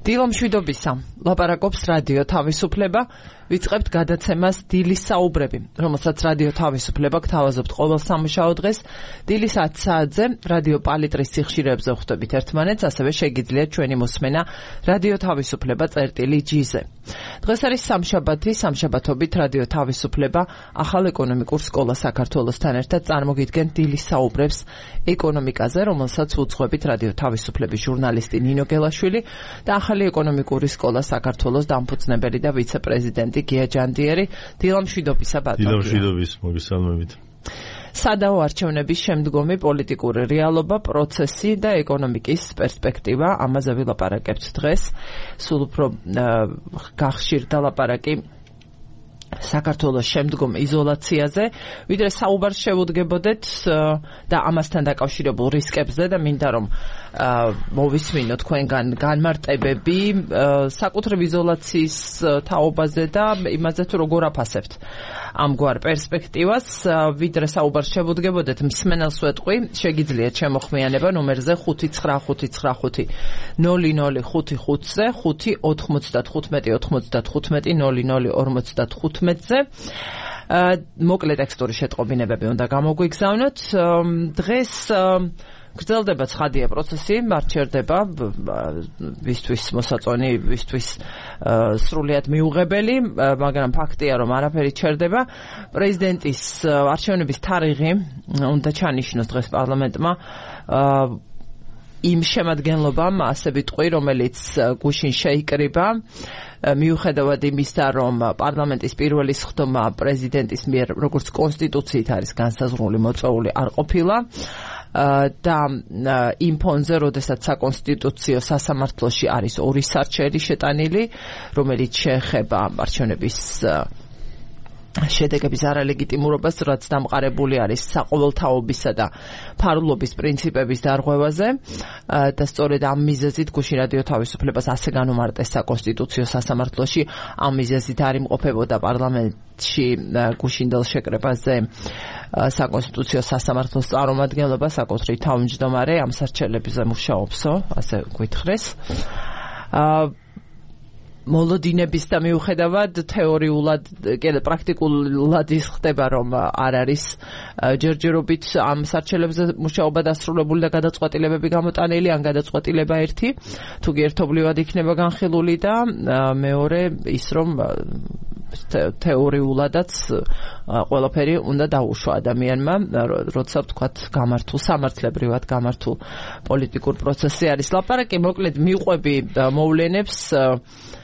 დილომშვიდობისა, ლაპარაკობს რადიო თავისუფლება, ვიწყებთ გადაცემას დილის საუბრები, რომელსაც რადიო თავისუფლება გთავაზობთ ყოველ სამუშაო დღეს, დილის 10 საათზე რადიო პალიტრის სიხშირეებზე ხვდებით ერთმანეთს, ასევე შეგიძლიათ ჩვენი მოსმენა რადიო თავისუფლება წერტილი-G-ზე. დღეს არის სამშაბათი, სამშაბათობით რადიო თავისუფლება ახალ ეკონომიკურ სკოლა საქართველოსთან ერთად წარმოგიდგენთ დილის საუბრებს ეკონომიკაზე, რომელსაც უძღვებით რადიო თავისუფლების ჟურნალისტი ნინო გელაშვილი და ახალი ეკონომიკური სკოლა საქართველოს დამფუძნებელი და ვიცე-პრეზიდენტი გია ჯანდიერი. დილამშვიდობისა ბატონო. დილამშვიდობის, მოგესალმებით. სადაო არჩევნების შემდგომი პოლიტიკური რეალობა, პროცესი და ეკონომიკის პერსპექტივა, ამაზე ვილაპარაკებთ დღეს. სულ უფრო გახშირდა ლაპარაკი საქართველოს შემდგომ იზოლაციაზე, ვიდრე საუბარს შევუდგებოდეთ და ამასთან დაკავშირებულ რისკებზე და მინდა რომ მოვისმინოთ თქვენგან განმარტებები საკუთრივ იზოლაციის თაობაზე და იმაზე თუ როგორ აფასებთ ამგვარ პერსპექტივას, ვიდრე საუბარს შევუდგებოდეთ, მსმენელს ვეტყვი, შეგიძლიათ შემოხმიანება ნომერზე 59595 0055-ზე 595-95-00-55-ზე მოკლე ტექსტური შეტყობინებები უნდა გამოგვიგზავნოთ. დღეს გრძელდება ცხადია პროცესი, მარჩერდება ვისთვის მოსაწონი, ვისთვის სრულიად მიუღებელი, მაგრამ ფაქტია რომ არაფერი ჩერდება. პრეზიდენტის არჩევნების თარიღი უნდა ჩანიშნოს დღეს პარლამენტმა იმ შემადგენლობამ, ასე ვიტყვი, რომელიც გუშინ შეიკრიბა, მიუხედავად იმისა, რომ პარლამენტის პირველი სხდომა პრეზიდენტის მიერ, როგორც კონსტიტუციით არის განსაზღვრული მოწვეული, არ ყოფილა და იმ ფონზე, როდესაც საკონსტიტუციო სასამართლოში არის ორი სარჩელი შეტანილი, რომელიც შეეხება არჩევნების შედეგების არალეგიტიმურობას, რაც დამყარებული არის საყოველთაობისა და ფარულობის პრინციპების დარღვევაზე და სწორედ ამ მიზეზით გუშინ რადიო თავისუფლებას ასე განუმარტეს საკონსტიტუციო სასამართლოში, ამ მიზეზით არ იმყოფებოდა პარლამენტში გუშინდელ შეკრებაზე საკონსტიტუციო სასამართლოს წარმომადგენლობა, საკუთრივ თავმჯდომარე ამ სარჩელებზე მუშაობსო, ასე გვითხრეს. მოლოდინების და მიუხედავად თეორიულად, პრაქტიკულად ის ხდება, რომ არ არის ჯერჯერობით ამ სარჩელებზე მუშაობა დასრულებული და გადაწყვეტილებები გამოტანილი, ან გადაწყვეტილება ერთი, თუ ერთობლივად იქნება განხილული და მეორე ის, რომ თეორიულადაც ყველაფერი უნდა დაუშვა ადამიანმა, როცა ვთქვათ გამართულ, სამართლებრივად გამართულ პოლიტიკურ პროცესი არის ლაპარაკი. მოკლედ მიყვები მოვლენებს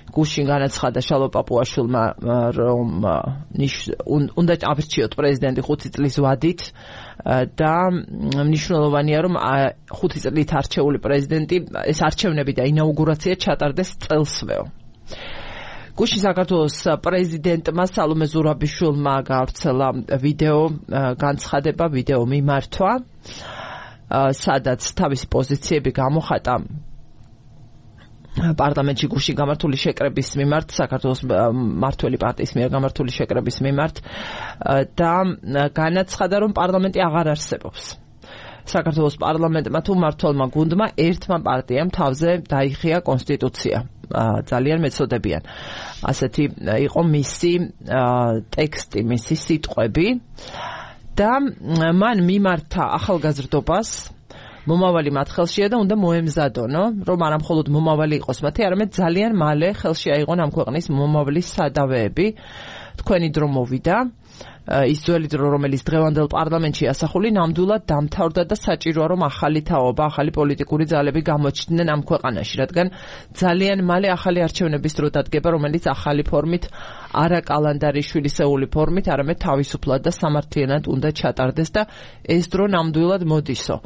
გუშინ განაცხადა შალო პაპუაშვილმა, რომ უნდა აირჩიოთ პრეზიდენტი 5 წლის ვადით და მნიშვნელოვანია, რომ 5 წლით არჩეული პრეზიდენტი, ეს არჩევნები და ინაუგურაცია ჩატარდეს წელსვეო. გუშინ საქართველოს პრეზიდენტმა სალომე ზურაბიშვილმა გაავრცელა ვიდეო განცხადება, ვიდეო მიმართვა, სადაც თავისი პოზიციები გამოხატა პარლამენტში გუშინ გამართული შეკრების მიმართ, საქართველოს მმართველი პარტიის მიერ გამართული შეკრების მიმართ და განაცხადა, რომ პარლამენტი აღარ არსებობს. საქართველოს პარლამენტმა თუ მმართველმა გუნდმა ერთმა პარტიამ თავზე დაიხია კონსტიტუცია. ძალიან მეწოდებიან. ასეთი იყო მისი ტექსტი, მისი სიტყვები და მან მიმართა ახალგაზრდობას, მომავალი მათ ხელშია და უნდა მოემზადონო, რომ არა მხოლოდ მომავალი იყოს მათი, არამედ ძალიან მალე ხელში აიღონ ამ ქვეყნის მომავლის სადავეები. თქვენი დრო მოვიდა, ის ძველი დრო, რომელიც დღევანდელ პარლამენტში ასახული, ნამდვილად დამთავრდა და საჭიროა, რომ ახალი თაობა, ახალი პოლიტიკური ძალები გამოჩნდნენ ამ ქვეყანაში, რადგან ძალიან მალე ახალი არჩევნების დრო დადგება, რომელიც ახალი ფორმით, არა კალანდარიშვილისეული ფორმით, არამედ თავისუფლად და სამართლიანად უნდა ჩატარდეს და ეს დრო ნამდვილად მოდისო.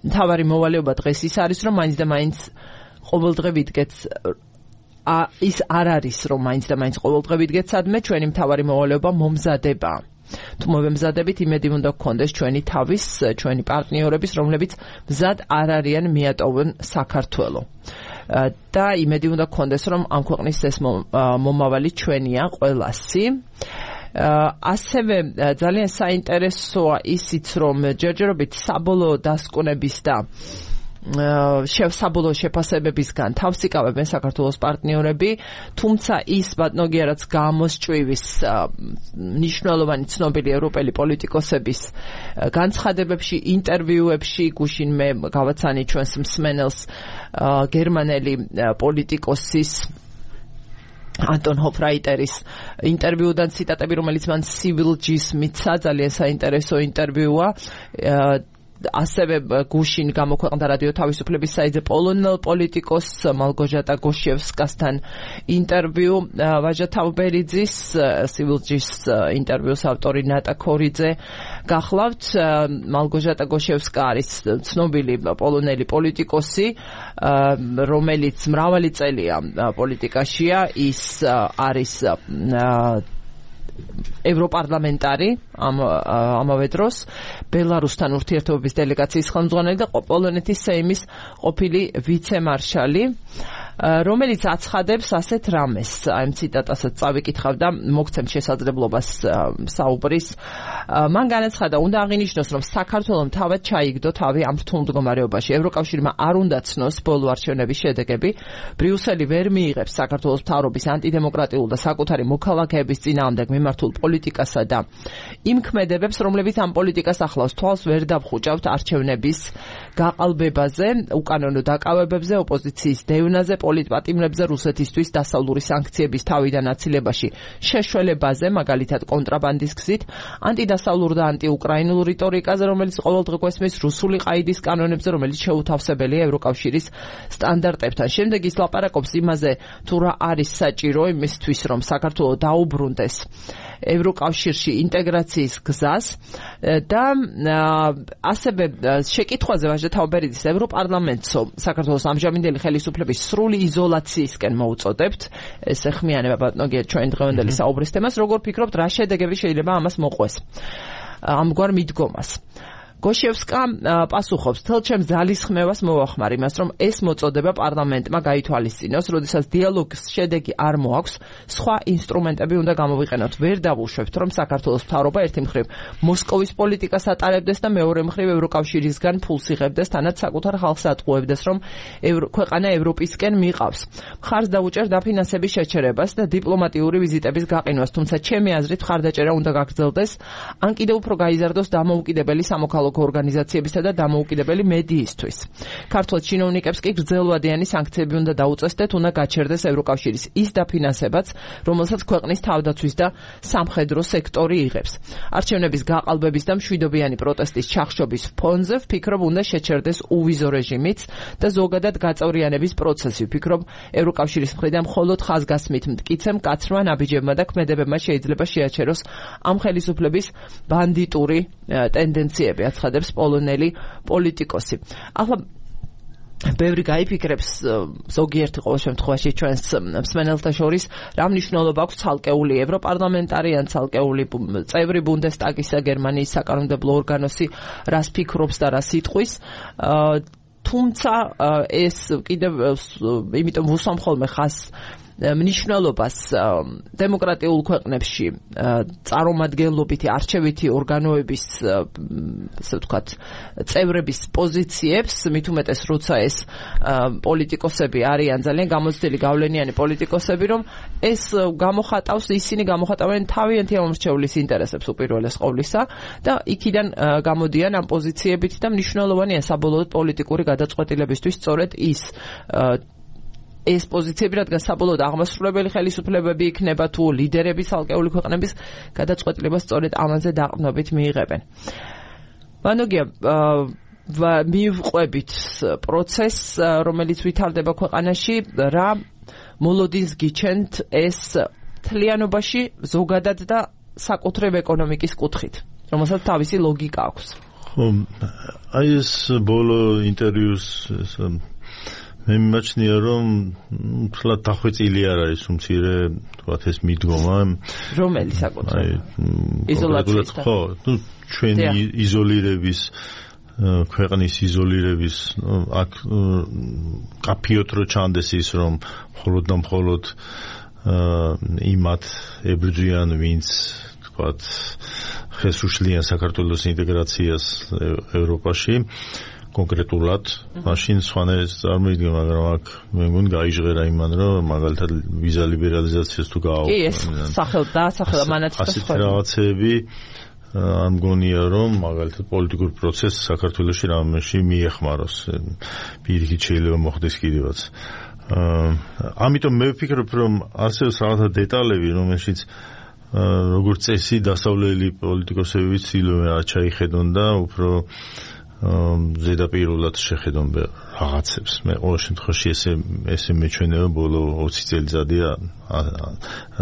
მთავარი მოვალეობა დღეს ის არის, რომ მაინც და მაინც ყოველდღე ვიდგეთ ის არ არის, რომ მაინც და მაინც ყოველდღე ვიდგეთ სადმე, ჩვენი მთავარი მოვალეობა მომზადება. თუ მოვემზადებით, იმედი უნდა გქონდეს ჩვენი თავის, ჩვენი პარტნიორების, რომლებიც მზად არ არიან მიატოვონ საქართველო. და იმედი უნდა გქონდეს, რომ ამ ქვეყნის ეს მომავალი ჩვენია ყველასი. ასევე ძალიან საინტერესოა ისიც, რომ ჯერჯერობით საბოლოო დასკვნების და საბოლოო შეფასებებისგან თავს იკავებენ საქართველოს პარტნიორები, თუმცა ის ბატონოგია რაც გამოსჭვივის მნიშვნელოვანი ცნობილი ევროპელი პოლიტიკოსების განცხადებებში, ინტერვიუებში, გუშინ მე გავაცანი ჩვენს მსმენელს გერმანელი პოლიტიკოსის Anton Hofreiteris ინტერვიუდან ციტატები, რომელიც მან Civil-G-ს მიცა, ძალიან საინტერესო ინტერვიუა. ასევე გუშინ გამოქვეყნდა რადიო თავისუფლების საიტზე პოლონელ პოლიტიკოს მალგოჟატა გოშევსკასთან ინტერვიუ. ვაჟა თავბერიძის Civil-G-ს ინტერვიუს ავტორი ნატა ქორიძე გახლავთ. მალგოჟატა გოშევსკა არის ცნობილი პოლონელი პოლიტიკოსი, რომელიც მრავალი წელია პოლიტიკაშია. ის არის ევროპარლამენტარი ამავე დროს ბელარუსთან ურთიერთობების დელეგაციის ხელმძღვანელი და პოლონეთის სეიმის ყოფილი ვიცე-მარშალი, რომელიც აცხადებს ასეთ რამეს. აი ციტატასაც წავიკითხავ და მოგცემ შესაძლებლობას საუბრის. მან განაცხადა, უნდა აღინიშნოს, რომ საქართველომ თავად ჩაიგდო თავი ამ რთულ მდგომარეობაში. ევროკავშირმა არ უნდა ცნოს ბოლო არჩევნების შედეგები. ბრიუსელი ვერ მიიღებს საქართველოს მთავრობის ანტიდემოკრატიულ და საკუთარი მოქალაქეების წინააღმდეგ მიმართულ პოლიტიკასა და იმ ქმედებებს, რომლებიც ამ პოლიტიკას ახლავს, თვალს ვერ დავხუჭავთ არჩევნების გაყალბებაზე, უკანონო დაკავებებზე, ოპოზიციის დევნაზე, პოლიტპატიმრებზე, რუსეთისთვის დასავლური სანქციების თავიდან აცილებაში შეშველებაზე, მაგალითად კონტრაბანდის გზით, ანტიდასავლურ და ანტიუკრაინულ რიტორიკაზე, რომელიც ყოველდღე გვესმის, რუსული ყაიდის კანონებზე, რომელიც შეუთავსებელია ევროკავშირის სტანდარტებთან. შემდეგ ის ლაპარაკობს იმაზე, თუ რა არის საჭირო იმისთვის, რომ საქართველო დაუბრუნდეს ევროკავშირში ინტეგრაციის გზას და ასევე შეკითხვაზე ვაჟა თავბერიძის ევროპარლამენტსო საქართველოს ამჟამინდელი ხელისუფლების სრული იზოლაციისკენ მოუწოდებთ. ეს ეხმიანება ბატონოგია ჩვენ დღევანდელი საუბრის თემას. როგორ ფიქრობთ, რა შედეგები შეიძლება ამას მოყვეს ამგვარ მიდგომას? გოშევსკა პასუხობს, თელჩემს ძალისხმევას მოვახმარ იმას, რომ ეს მოწოდება პარლამენტმა გაითვალისწინოს, როდესაც დიალოგის შედეგი არ მოაქვს, სხვა ინსტრუმენტები უნდა გამოვიყენოთ. ვერ დავუშვებთ, რომ საქართველოს მთავრობა ერთი მხრივ მოსკოვის პოლიტიკას ატარებდეს და მეორე მხრივ ევროკავშირისგან ფულს იღებდეს, თანაც საკუთარ ხალხს ატყუებდეს, რომ ქვეყანა ევროპისკენ მიყავს. მხარს დაუჭერ დაფინანსების შეჩერებას და დიპლომატიური ვიზიტების გაყინვას, თუმცა ჩემი აზრით მხარდაჭერა უნდა გაგრძელდეს, ან კიდევ უფრო გაიზარდოს დამოუკიდებელი სამოქალაქო ორგანიზაციებისა და დამოუკიდებელი მედიისთვის. ქართულ ჩინოვნიკებს კი გრძელვადიანი სანქციები უნდა დაუწესდეთ, უნდა გაჩერდეს ევროკავშირის ის დაფინანსებაც, რომელსაც ქვეყნის თავდაცვის და სამხედრო სექტორი იღებს. არჩევნების გაყალბების და მშვიდობიანი პროტესტის ჩახშობის ფონზე ვფიქრობ, უნდა შეჩერდეს უვიზო რეჟიმიც და ზოგადად გაწევრიანების პროცესი. ვფიქრობ, ევროკავშირის მხრიდან მხოლოდ ხაზგასმით მტკიცემ კაცრმა ნაბიჯებმა და ქმედებებმა შეიძლება შეაჩეროს ამ ხელისუფლების ბანდიტური ტენდენციები, აცხადებს პოლონელი პოლიტიკოსი. ახლა ბევრი გაიფიქრებს, ზოგიერთი ყოველ შემთხვევაში ჩვენს მსმენელთა შორის, რა მნიშვნელობა აქვს ცალკეული ევროპარლამენტარი ან ცალკეული წევრი ბუნდესტაგისა, გერმანიის საკანონმდებლო ორგანოსი, რას ფიქრობს და რას იტყვის. თუმცა ეს კიდევ იმიტომ ვუსვამ ხოლმე ხას მნიშვნელობას დემოკრატიულ ქვეყნებში წარმომადგენლობითი არჩევითი ორგანოების, ასე ვთქვათ, წევრების პოზიციებს, მით უმეტეს როცა ეს პოლიტიკოსები არიან ძალიან გამოცდილი გავლენიანი პოლიტიკოსები, რომ ეს ისინი გამოხატავენ თავიანთი ამორჩეულის ინტერესებს უპირველეს ყოვლისა და იქიდან გამოდიან ამ პოზიციებით და მნიშვნელოვანია საბოლოოდ პოლიტიკური გადაწყვეტილებისთვის სწორედ ეს პოზიციები, რადგან საბოლოოდ აღმასრულებელი ხელისუფლებები იქნება თუ ლიდერების ალკეული ქვეყნების გადაწყვეტილებას სწორედ ამაზე დაყრდნობით მიიღებენ. ბანოგია მივყვებით პროცესს, რომელიც ვითარდება ქვეყანაში, რა მოლოდინს გიჩენთ ეს თლიანობაში ზოგადად და საკუთრებ ეკონომიკის კუთხით, რომელსაც თავისი ლოგიკა აქვს. ხო, აი ეს ბოლო ინტერვიუს მე მიმაჩნია, რომ თლად დახვეწილი არ არის უმცირე, თქვათ ეს მიდგომა. რომელი საკუთრება? იზოლაციის. ხო, ჩვენი იზოლირების, ქვეყნის იზოლირების, აქ კაფიოთ რო ჩანდეს ის, რომ მხოლოდ და მხოლოდ იმათ ებრძვიან, ვინც თქვათ ხეს უშლიან საქართველოს ინტეგრაციას ევროპაში. კონკრეტულად მაშინ სხვანაირად წარმოიდგინე, მაგრამ აქ მე მგონი გაიჟღერა იმან, რომ მაგალითად ვიზა ლიბერალიზაციას თუ კი, ეს დასახელდა მანაც და სხვა რაღაცები არ მგონია, რომ მაგალითად პოლიტიკურ პროცესს საქართველოში რამეში მიეხმაროს. პირიქით შეიძლება მოხდეს კიდევაც. ამიტომ მე ვფიქრობ, რომ არსებობს რაღაცა დეტალები, რომელშიც როგორც წესი დასავლელი პოლიტიკოსები ცდილობენ რა ჩაიხედონ და უფრო ზედაპირულად შეხედონ რაღაცებს. მე ყოველ შემთხვევაში ესე მეჩვენება ბოლო 20 წელიწადია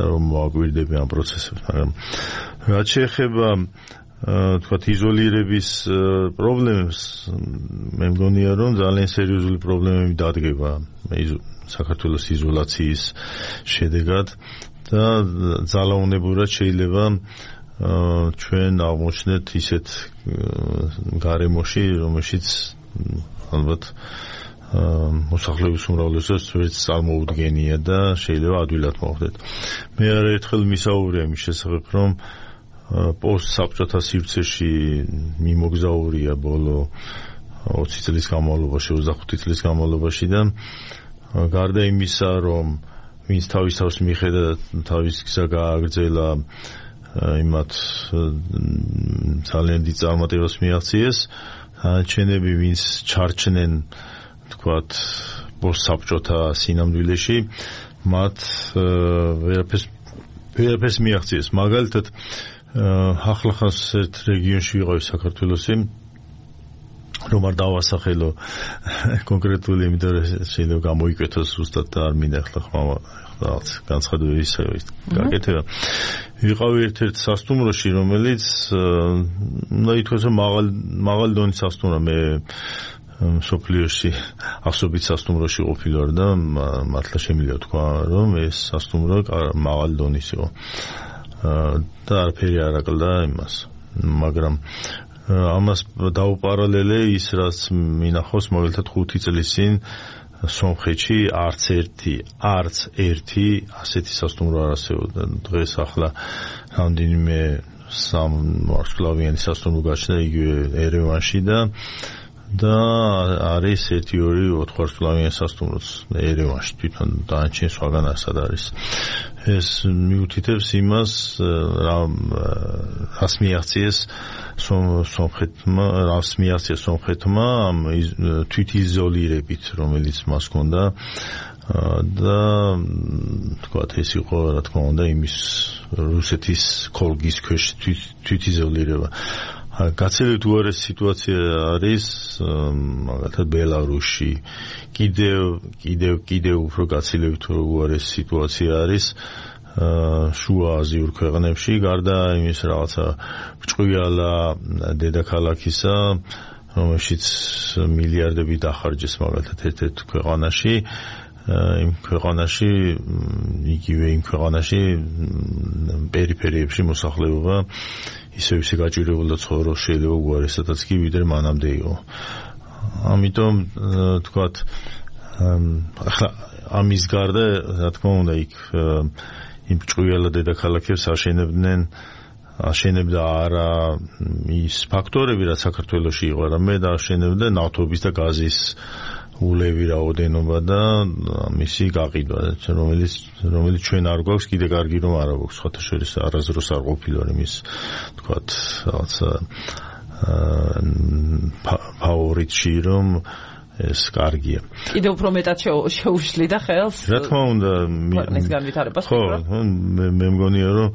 რომ მოაკვირდები ამ პროცესებს, მაგრამ რაც შეეხება თქვათ იზოლირების პრობლემებს, მე მგონია რომ ძალიან სერიოზული პრობლემები დადგება საქართველოს იზოლაციის შედეგად და ძალაუნებურად შეიძლება ჩვენ აღმოჩნდეთ ისეთ გარემოში, რომელშიც ალბათ მოსახლეობის უმრავლესობას ვერც წარმოუდგენია და შეიძლება ადვილად მოხდეთ. მე არაერთხელ მისაუბრია იმის შესახებ, რომ პოსტსაბჭოთა სივრცეში მიმოგზაურია ბოლო 20 წლის განმავლობაში, 25 წლის განმავლობაში და გარდა იმისა, რომ ვინც თავის თავს მიხედა თავის გზა გააგრძელა იმათ ძალიან დიდ წარმატებას მიაღწიეს, ჩენები ვინც ჩარჩნენ თქვათ პოსტსაბჭოთა სინამდვილეში, მათ ვერაფერს მიაღწიეს. მაგალითად ახლახანს ერთ რეგიონში ვიყავი საქართველოსი, რომ არ დავასახელო კონკრეტული, იმიტომ რომ შეიძლება გამოიკვეთოს ზუსტად და არ მინდა ახლა რაღაც განცხადებები გაკეთება. ვიყავი ერთ-ერთ სასტუმროში, რომელიც ითქვას, რომ მაღალი დონის სასტუმრა. მე მსოფლიოში ასობით სასტუმროში ყოფილი ვარ და მართლა შემიძლია თქვა, რომ ეს სასტუმრო მაღალი დონის იყო და არაფერი არ აკლდა იმას, მაგრამ ამას დაუპარალელე ის, რაც მინახავს, მაგალითად 5 წლის წინ სომხეთში არც ერთი ასეთი სასტუმრო არ არსებობდა. დღეს ახლა რამდენიმე სამვარსკვლავიანი სასტუმრო გაჩნდა იგივე ერევანში და არის 1-2 ოთხვარსკვლავიანი სასტუმროც ერევანში, თვითონ დანარჩენ სხვაგან ასად არის. ეს მიუთითებს იმას, რას მიაღწიეს სომხეთმა ამ თვითიზოლირებით, რომელიც მას ჰქონდა და თქვათ ეს იყო რა თქმა უნდა იმის რუსეთის ქოლგის ქვეშ თვითიზოლირება. გაცილებით უარესი სიტუაცია არის მაგალითად ბელარუსში, კიდევ უფრო გაცილებით უარესი სიტუაცია არის შუა აზიურ ქვეყნებში, გარდა იმის რაღაცა ბრჭყვიალა დედაქალაქისა, რომელშიც მილიარდები დახარჯეს მაგალითად ერთ-ერთ ქვეყანაში, იმ ქვეყანაში პერიფერიებში მოსახლეობა ისე გაჭირებულდა ცხოვრობს, შეიძლება უარესადაც კი ვიდრე მანამდე იყო. ამიტომ თქვათ ახლა ამის გარდა რა თქმა უნდა იქ იმ ბრჭყვიალა დედაქალაქებს აშენებდა არა ის ფაქტორები, რაც საქართველოში იყო, არამედ აშენებდა ნავთობის და გაზის ულევი რაოდენობა და მისი გაყიდვა, რომელიც ჩვენ არ გვაქვს, კიდე კარგი რომ არ აქვს, სხვათა შორის არასდროს არ ყოფილა იმის თქვათ რაღაცა ფავორიტში, რომ ეს კარგია. კიდე უფრო მეტად შეუშლიდა ხელს? რა თქმა უნდა, ქვეყნის განვითარებას. ხო, მე მგონია, რომ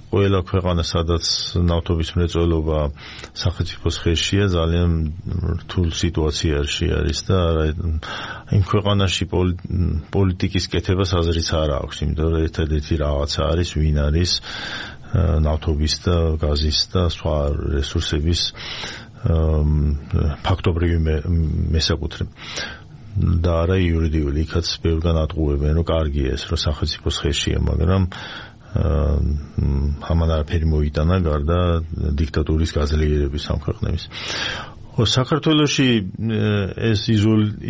ყველა ქვეყანა, სადაც ნავთობის მრეწველობა სახელმწიფოს ხელშია, ძალიან რთულ სიტუაციაში არის და იმ ქვეყანაში პოლიტიკის კეთებას აზრიც არ აქვს, იმიტომ რომ ერთადერთი რაღაცა არის, ვინ არის ნავთობის და გაზის და სხვა რესურსების ფაქტობრივი მესაკუთრე და არა იურიდიული. იქაც ბევრგან ატყუებენ, რომ კარგია ეს, რომ სახელმწიფოს ხელშია, მაგრამ ამან არაფერი მოიტანა გარდა დიქტატურის გაძლიერების ამ ქვეყნების. საქართველოში ეს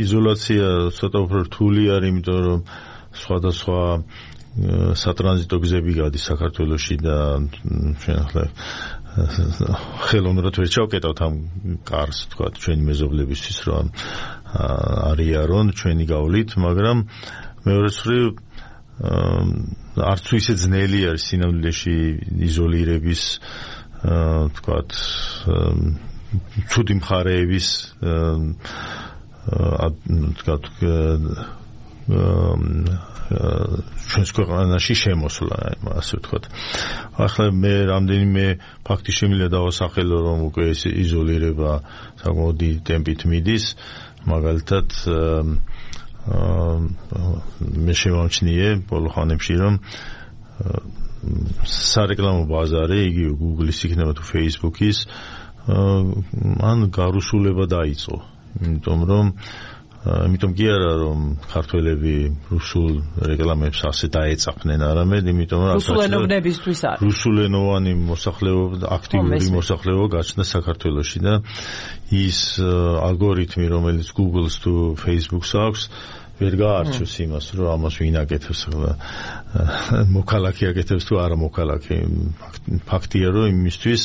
იზოლაცია ცოტა უფრო რთული არის, იმიტომ რომ სხვადასხვა სატრანზიტო გზები გადის საქართველოში და ჩვენ ახლა ხელოვნურად ვერ ჩავკეტავთ ამ კარს, თქვა ჩვენი მეზობლებისთვის, რომ არიან ჩვენი გავლით, მაგრამ მეორე მხრივ არც თუ ისე ძნელი არის სინამდვილეში იზოლირების თქვა ცუდი მხარეების თქვა ჩვენს ქვეყანაში შემოსვლა, ასე ვთქვათ. ახლა მე რამდენიმე ფაქტი შემიძლია დავასახელო, რომ უკვე ეს იზოლირება საკმაოდ დიდი ტემპით მიდის, მაგალითად მე შემოვჩნიე ბოლო ხანებში, რომ სარეკლამო ბაზარი, იგივე Google-ის იქნება თუ Facebook-ის, ან გარუსულება დაიწყო, იმიტომ კი არა რომ ქართველები რუსულ რეკლამებს ასე დაეწაფნენ, არამედ იმიტომ რომ რუსულენოვნებისთვის არის. რუსულენოვანი მოსახლეობა, აქტიური მოსახლეობა გაჩნდა საქართველოში და ის ალგორითმი, რომელიც Google-ს თუ Facebook-ს აქვს, ვერ გაარჩევს იმას, რომ ამას ვინ აკეთებს, მოქალაქე აკეთებს თუ არა მოქალაქე. ფაქტია, რომ იმისთვის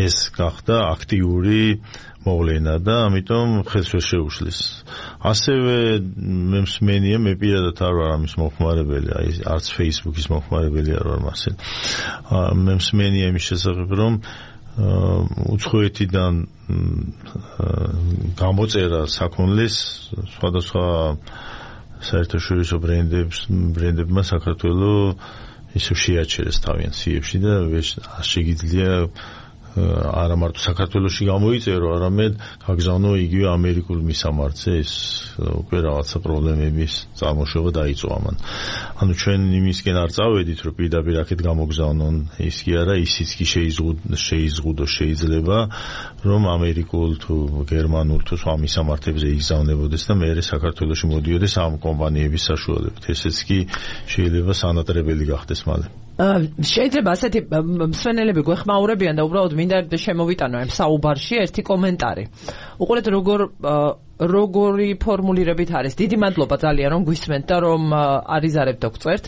ეს გახდა აქტიური მოვლენა და ამიტომ ხელს ვერ შეუშლის. ასევე მე მსმენია, მე პირადად არ ვარ ამის მოხმარებელი, არც Facebook-ის მოხმარებელი არ ვარ მასე. მე მსმენია იმის შესახებ, რომ უცხოეთიდან გამოწერა საქონლის სხვადასხვა საერთაშორისო ბრენდებმა საქართველოს ისე შეაჩერეს თავიანთ სიებში და შეგიძლია არა მარტო საქართველოში გამოიწერო, არამედ გაგზავნო იგივე ამერიკულ მისამართზე, ეს უკვე რაღაცა პრობლემების წარმოშობა დაიწყო ამან. ანუ ჩვენ იმისკენ არ წავედით, რომ პირდაპირ აქეთ გამოგზავნონ, ის კი არა, ისიც კი შეიზღუდო შეიძლება, რომ ამერიკულ თუ გერმანულ თუ სხვა მისამართებზე იგზავნებოდეს და მე საქართველოში მოდიოდეს ამ კომპანიების საშუალებით. ესეც კი შეიძლება სანატრებელი გახდეს მალე. შეიძლება ასეთი მსვენელები გვეხმაურებიან და უბრალოდ მინდა შემოვიტანო ამ საუბარში ერთი კომენტარი. უყურეთ როგორი ფორმულირებით არის. დიდი მადლობა ძალიან რომ გვისმენთ და რომ არიზარებთ და გწერთ.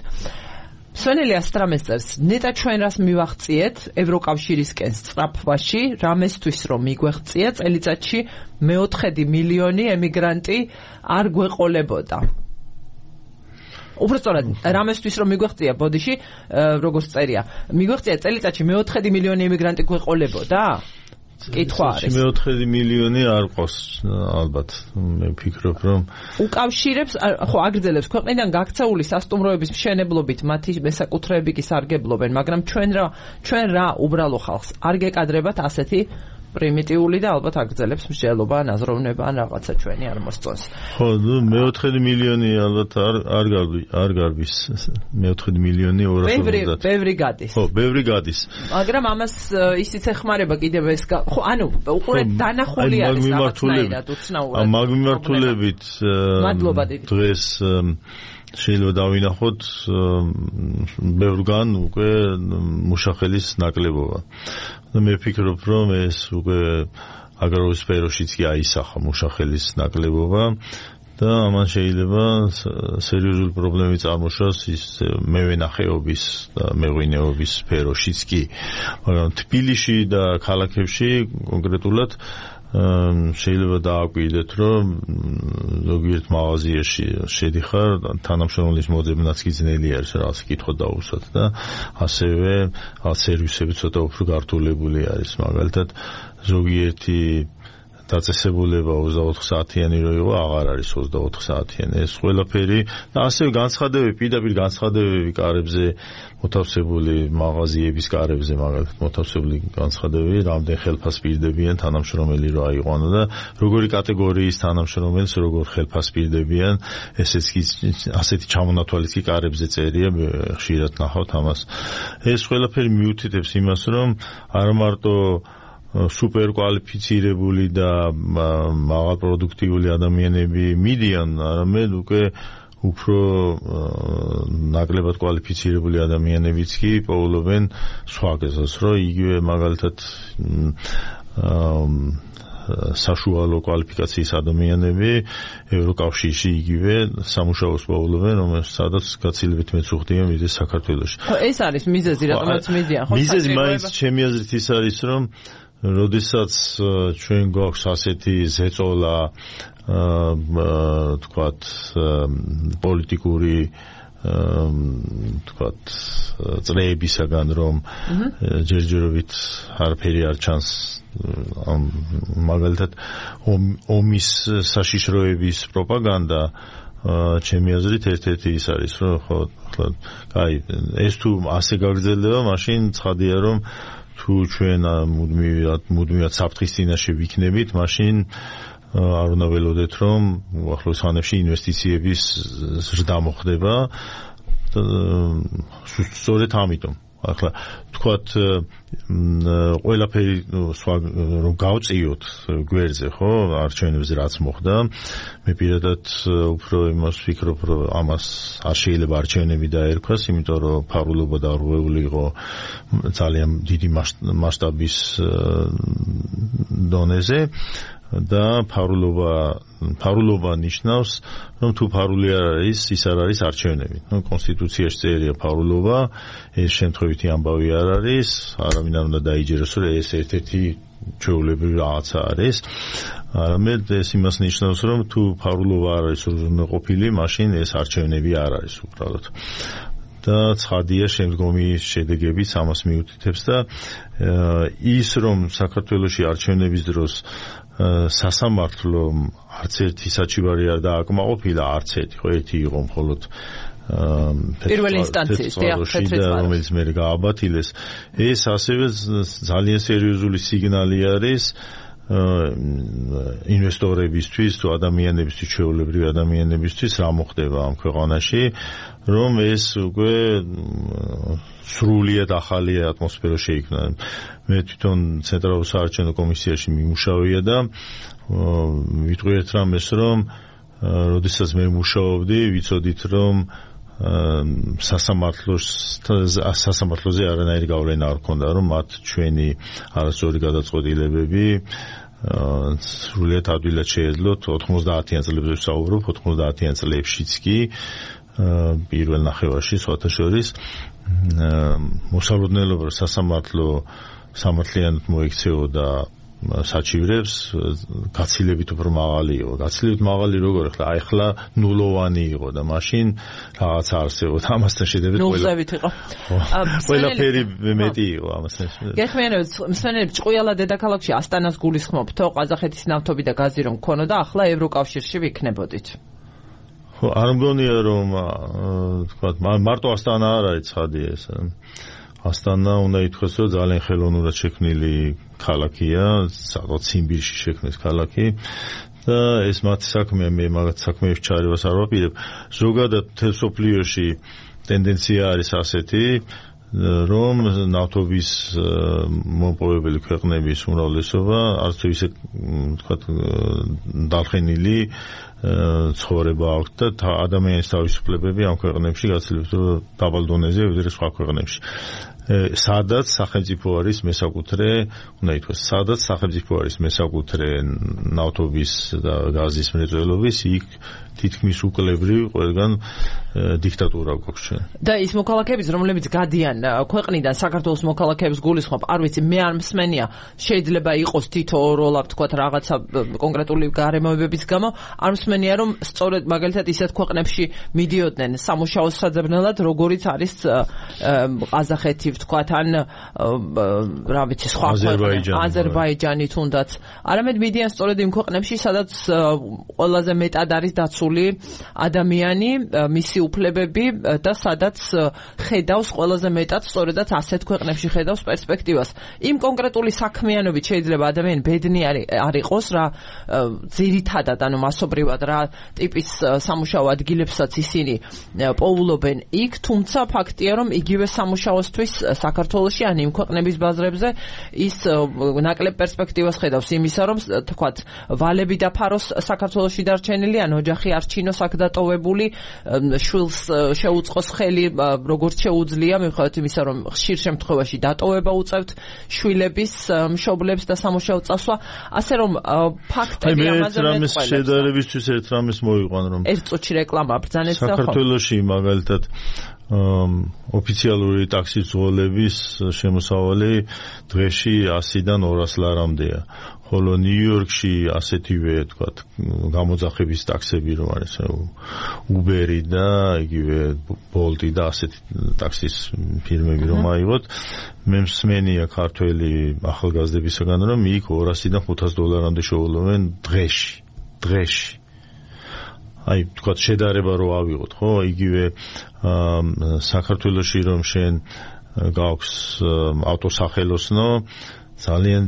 მსვენელი ასტრამეს წერს, ნეტა ჩვენ რას მივაღწიეთ ევროკავშირისკენ სწრაფვაში, რამესთვის რომ მიგვეღწია წელიწადში 4 მილიონი ემიგრანტი არ გვეყოლებოდა. უბრალოდ რამესთვის რომ მიგვეღწია ბოდიში, როგორც წერია, მიგვეღწია წელიწადში 4 მილიონი ემიგრანტი გვეყოლებოდა? კითხვა არის. 4 მილიონი არ ყავს ალბათ. მე ვფიქრობ, რომ უკავშირებს, ხო, აგრძელებს ქვეყნიდან გაქცეული სასტუმროების მშენებლობით მათი მესაკუთრეები კი სარგებლობენ, მაგრამ ჩვენ რა უბრალო ხალხს არ გეკადრებათ ასეთი პრიმიტიული და ალბათ აგრძელებს მსჯელობა, აზროვნება ან რაღაცა ჩვენი არ მოსწონს. ხო, 4 მილიონი ალბათ არ გარბის. 4 მილიონი 250. ბევრი გადის. ხო, ბევრი გადის. მაგრამ ამას ისიც ეხმარება კიდევ ეს, ხო, ანუ უყურეთ დანახული არის რაღაცნაირად უცნაურად. ამ მიმართულებით დღეს შეიძლება დავინახოთ ბევრგან უკვე მუშახელის ნაკლებობა. მე ვფიქრობ, რომ ეს უკვე აგრარულ სფეროშიც კი აისახა მუშახელის ნაკლებობა და ამან შეიძლება სერიოზული პრობლემები წარმოშოს ის მევენახეობის და მეღვინეობის სფეროშიც კი. მაგრამ თბილისში და ქალაქებში კონკრეტულად შეიძლება დააკვირდეთ, რომ ზოგიერთ მაღაზიაში შედიხარ, თანამშრომლის მოძებნაც კი ძნელი არის რაღაც კითხვა დაუსვათ და ასევე სერვისები ცოტა უფრო გართულებული არის. მაგალითად, ზოგიერთი დაწესებულება 24 საათიანი რო იყო, აღარ არის 24 საათიანი. ეს ყველაფერი და ასევე განცხადებები, პირდაპირ განცხადებები კარებზე მოთავსებული მაღაზიების კარებზე, მაგალითად, მოთავსებული განცხადებები, რამდენ ხელფას პირდებიან თანამშრომელი რო აიყვანო და როგორი კატეგორიის თანამშრომელს როგორ ხელფას პირდებიან, ესეც კი ასეთი ჩამონათვალიც კი კარებზე წერია, ხშირად ნახავთ ამას. ეს ყველაფერი მიუთითებს იმას, რომ არ მარტო სუპერ კვალიფიცირებული და მაღალპროდუქტიული ადამიანები მიდიან, არამედ უკვე უფრო ნაკლებად კვალიფიცირებული ადამიანებიც კი პოულობენ სხვა გზას, რომ იგივე მაგალითად საშუალო კვალიფიკაციის ადამიანები ევროკავშირში იგივე სამუშაოს პოულობენ, სადაც გაცილებით მეცუხდიან ვიდრე საქართველოში. ეს არის მიზეზი, რატომაც მიდიან, ხო? მიზეზი მაინც ჩემი აზრით ის არის, რომ როდესაც ჩვენ გვაქვს ასეთი ზეწოლა, თქვათ, პოლიტიკური თქვათ წრეებისაგან, რომ ჯერჯერობით არაფერი არ ჩანს, მაგალითად ომის საშიშროების პროპაგანდა ჩემი აზრით ერთ-ერთი ის არის, რომ ხო, კაი, ეს თუ ასე გაგრძელდება, მაშინ ცხადია, რომ თუ ჩვენ მუდმივად საფრთხის წინაშე ვიქნებით, მაშინ არ უნდა ველოდეთ, რომ უახლოეს ხანებში ინვესტიციების ზრდა მოხდება. სწორედ ამიტომ ახლა თქვათ ყველაფერი რომ გავწიოთ გვერდზე, ხო, არჩევნებზე რაც მოხდა, მე პირადად უფრო იმას ვფიქრობ, რომ ამას არ შეიძლება არჩევნები დაერქვას, იმიტომ რომ ფარულობა დარღვეული იყო ძალიან დიდი მასშტაბის დონეზე და ფარულობა ნიშნავს, რომ თუ ფარული არ არის, ის არ არის არჩევნები. კონსტიტუციაში წერია ფარულობა, ეს შემთხვევითი ამბავი არ არის, არავინ არ უნდა დაიჯეროს, რომ ეს ერთ-ერთი ჩვეულებრივი რაღაცა არის. არამედ ეს იმას ნიშნავს, რომ თუ ფარულობა არ არის უზრუნველყოფილი, მაშინ ეს არჩევნები არ არის უბრალოდ. და ცხადია შემდგომი შედეგებიც ამას მიუთითებს და ის რომ საქართველოში არჩევნების დროს სასამართლო არც ერთი საჩივარი არ დააკმაყოფილა, არც ერთი, ხო, ერთი იყო მხოლოდ პირველი ინსტანციის რომელიც მე გააბათილეს. ეს ასევე ძალიან სერიოზული სიგნალი არის ინვესტორებისთვის, თუ ადამიანებისთვის, ჩვეულებრივი ადამიანებისთვის, რა მოხდება ამ ქვეყანაში, რომ ეს უკვე სრულიად ახალი ატმოსფერო შეიქმნა. მე თვითონ ცენტრალურ საარჩევნო კომისიაში მიმუშავია და ვიტყვი ერთ რამეს, რომ როდესაც მე მუშაობდი, ვიცოდით, რომ სასამართლოზე არანაირი გავლენა არ ქონდა, რომ მათ ჩვენი არასწორი გადაწყვეტილებები სრულიად ადვილად შეეძლოთ. 90-იან წლებზე ვსაუბრობ, 90-იან წლებშიც კი პირველ ნახევარში სხვათა შორის მოსალოდნელობა სასამართლო სამართლიანად მოექცეოდა საჩივრებს, გაცილებით უფრო მაღალი იყო. გაცილებით მაღალი როგორ ახლა ნულოვანი იყო და მაშინ რაღაც არსებობდა. ამასთან შედარებით ყველაფერი მეტი იყო ამასთან. გეხმიანებთ, მსმენელებს ჭყუიალა დედაქალაქში ასტანას გულისხმობთო, ყაზახეთის ნავთობი და გაზი რომ ქონოდა, ახლა ევროკავშირში ვიქნებოდით. ხო, არ მგონია რომ თქვა მარტო ასტანა არ არის ცხადია ეს. ასტანა უნდა ითქვას, რომ ძალიან ხელოვნურად შექმნილი ქალაქია, საკმაოდ ციმბირში შექმნეს ქალაქი და ეს მათი საქმეა, მე მაგათ საქმეებში ჩარევას არ ვაპირებ. ზოგადად მთელ სოფლიოში ტენდენცია არის ასეთი, რომ ნავთობის მომპოვებელი ქვეყნების უმრავლესობა არც თუ ისე თქვათ დალხენილი ცხოვრება აქვს და ადამიანის თავისუფლებები ამ ქვეყნებში გაცილებით დაბალ დონეზე ვიდრე სხვა ქვეყნებში. სადაც სახელმწიფო არის მესაკუთრე, უნდა ითქვას, სადაც სახელმწიფო არის მესაკუთრე ნავთობის და გაზის მრეწველობის, იქ თითქმის უკლებრივ ყველგან დიქტატურა გვაქვს ჩვენ. და ის მოქალაქეების, რომლებიც გადიან ქვეყნიდან, საქართველოს მოქალაქეებს გულისხმობ, არ ვიცი, მე არ მსმენია, შეიძლება იყოს თითო როლა, თქვათ, რაღაცა კონკრეტული გარემოებების გამო, არ მსმენია, რომ სწორედ მაგალითად ისეთ ქვეყნებში მიდიოდნენ სამუშაოს საძებნელად, როგორიც არის ყაზახეთი, თქვათ, ან რა ვიცი, სხვა ქვეყნები, აზერბაიჯანი თუნდაც. არამედ მიდიან სწორედ იმ ქვეყნებში, სადაც ყველაზე მეტად არის დაცული ადამიანი, მისი უფლებები და სადაც ხედავს ყველაზე მეტად სწორედაც ასეთ ქვეყნებში ხედავს პერსპექტივას. იმ კონკრეტული საქმიანობით შეიძლება ადამიანი ბედნი არ იყოს, რა ძირითადად, ანუ მასობრივად რა ტიპის სამუშაო ადგილებსაც ისინი პოულობენ იქ, თუმცა ფაქტია, რომ იგივე სამუშაოსთვის საქართველოში ან იმ ქვეყნების ბაზრებზე ის ნაკლებ პერსპექტივას ხედავს იმისა, რომ თქვათ ვალები დაფაროს საქართველოში დარჩენილი ან ოჯახი არ ჩინოს აქ დატოვებული, შვილს შეუწყოს ხელი როგორც შეუძლია, მიუხედავად იმისა, რომ ხშირ შემთხვევაში დატოვება უწევთ შვილების მშობლებს და სამუშაო წასვლა, ასე რომ ფაქტები ამაზე მეწყვილებს. შედარებისთვის ერთ რამეს მოვიყვან, რომ ერთ წუთში რეკლამა ბრძანეთ და საქართველოში მაგალითად ოფიციალური ტაქსის ძღოლების შემოსავალი დღეში 100-დან 200 ლარამდეა. ხოლო ნიუ-იორკში ასეთივე თქვათ გამოძახების ტაქსები რომ არის Uber-ი და იგივე Bolt-ი და ასეთი ტაქსის ფირმები რომ აიღოთ, მე მსმენია ქართველი ახალგაზრდებისგან რომ იქ 200-დან 500 დოლარამდე შეუძლოვენ დღეში. აი თქვათ შედარება რო ავიღოთ, ხო, იგივე საქართველოში რომ შენ გაქვს ავტოსახელოსნო, ძალიან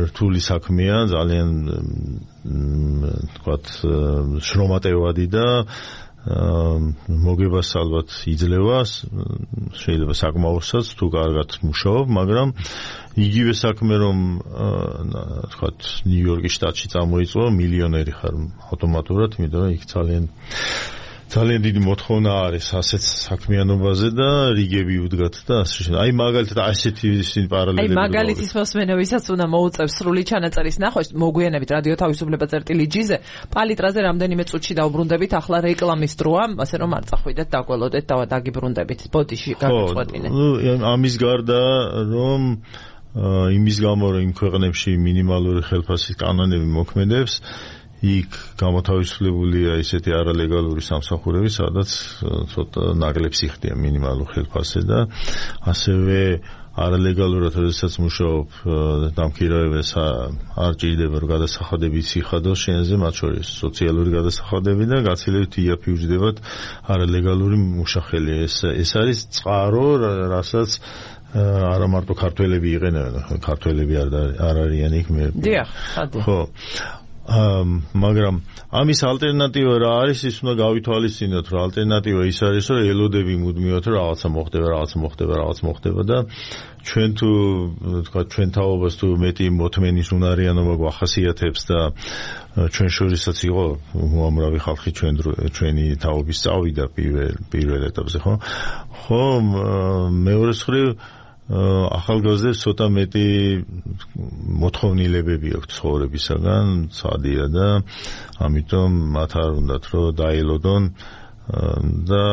რთული საქმეა, ძალიან თქვათ შრომატევადი და მოგებას ალბათ იძლევა, შეიძლება საკმაოსაც თუ კარგად მუშაობ, მაგრამ იგივე საქმე რომ თქვათ ნიუ-იორკის შტატში წამოიწყო, მილიონერი ხარ ავტომატურად, იმიტომ რომ იქ ძალიან დიდი მოთხოვნა არის ასეთ საქმიანობაზე და რიგები უდგათ და ასე შემდეგ. აი მაგალითად ასეთი პარალელები. აი მაგალითის მოსმენებისაც უნდა მოუწევს სრული ჩანაწერის ნახვა, მოგვიანებით რადიო თავისუფლება.lg-ზე პალიტრაზე რამდენიმე წუთში დაუბრუნდებით, ახლა რეკლამის დროა, ასე რომ არ წახვიდეთ, დაგველოდეთ და დაგიბრუნდებით. ბოდიში გაგწყვეტინეთ. ამის გარდა რომ იმის გამო რომ იმ ქვეყნებში მინიმალური ხელფასის კანონები მოქმედებს, იქ გამოთავისუფლებულია ისეთი არალეგალური სამსახურები, სადაც ცოტა ნაკლებს იხდიან მინიმალურ ხელფასზე და ასევე არალეგალურად როდესაც მუშაობ დამქირავებას არ ჭირდება რომ გადასახადებით იხადოს შენზე, მათ შორის სოციალური გადასახადები და გაცილებით იაფიუჯდებათ არალეგალური მუშახელი. ეს არის წყარო, რასაც არა მარტო ქართველები იყენებენ, ქართველები არ არიან იქ მე. დიახ, ხო. მაგრამ ამის ალტერნატივა რა არის, ის უნდა გავითვალისწინოთ, რომ ალტერნატივა ის არის, რომ ელოდები მუდმივად რომ რაღაცა მოხდება და ჩვენ თუ თქვა ჩვენ თაობას თუ მეტი მოთმენის უნარიანობა გვახასიათებს და ჩვენ შორისაც იყო უამრავი ხალხი ჩვენი თაობის წავიდა პირველ ეტაპზე, ხო მეორე მხრივ ახალგაზრდებს ცოტა მეტი მოთხოვნილებები აქვს ცხოვრებისაგან, ცადია და ამიტომ მათ არ უნდათ რომ დაელოდონ და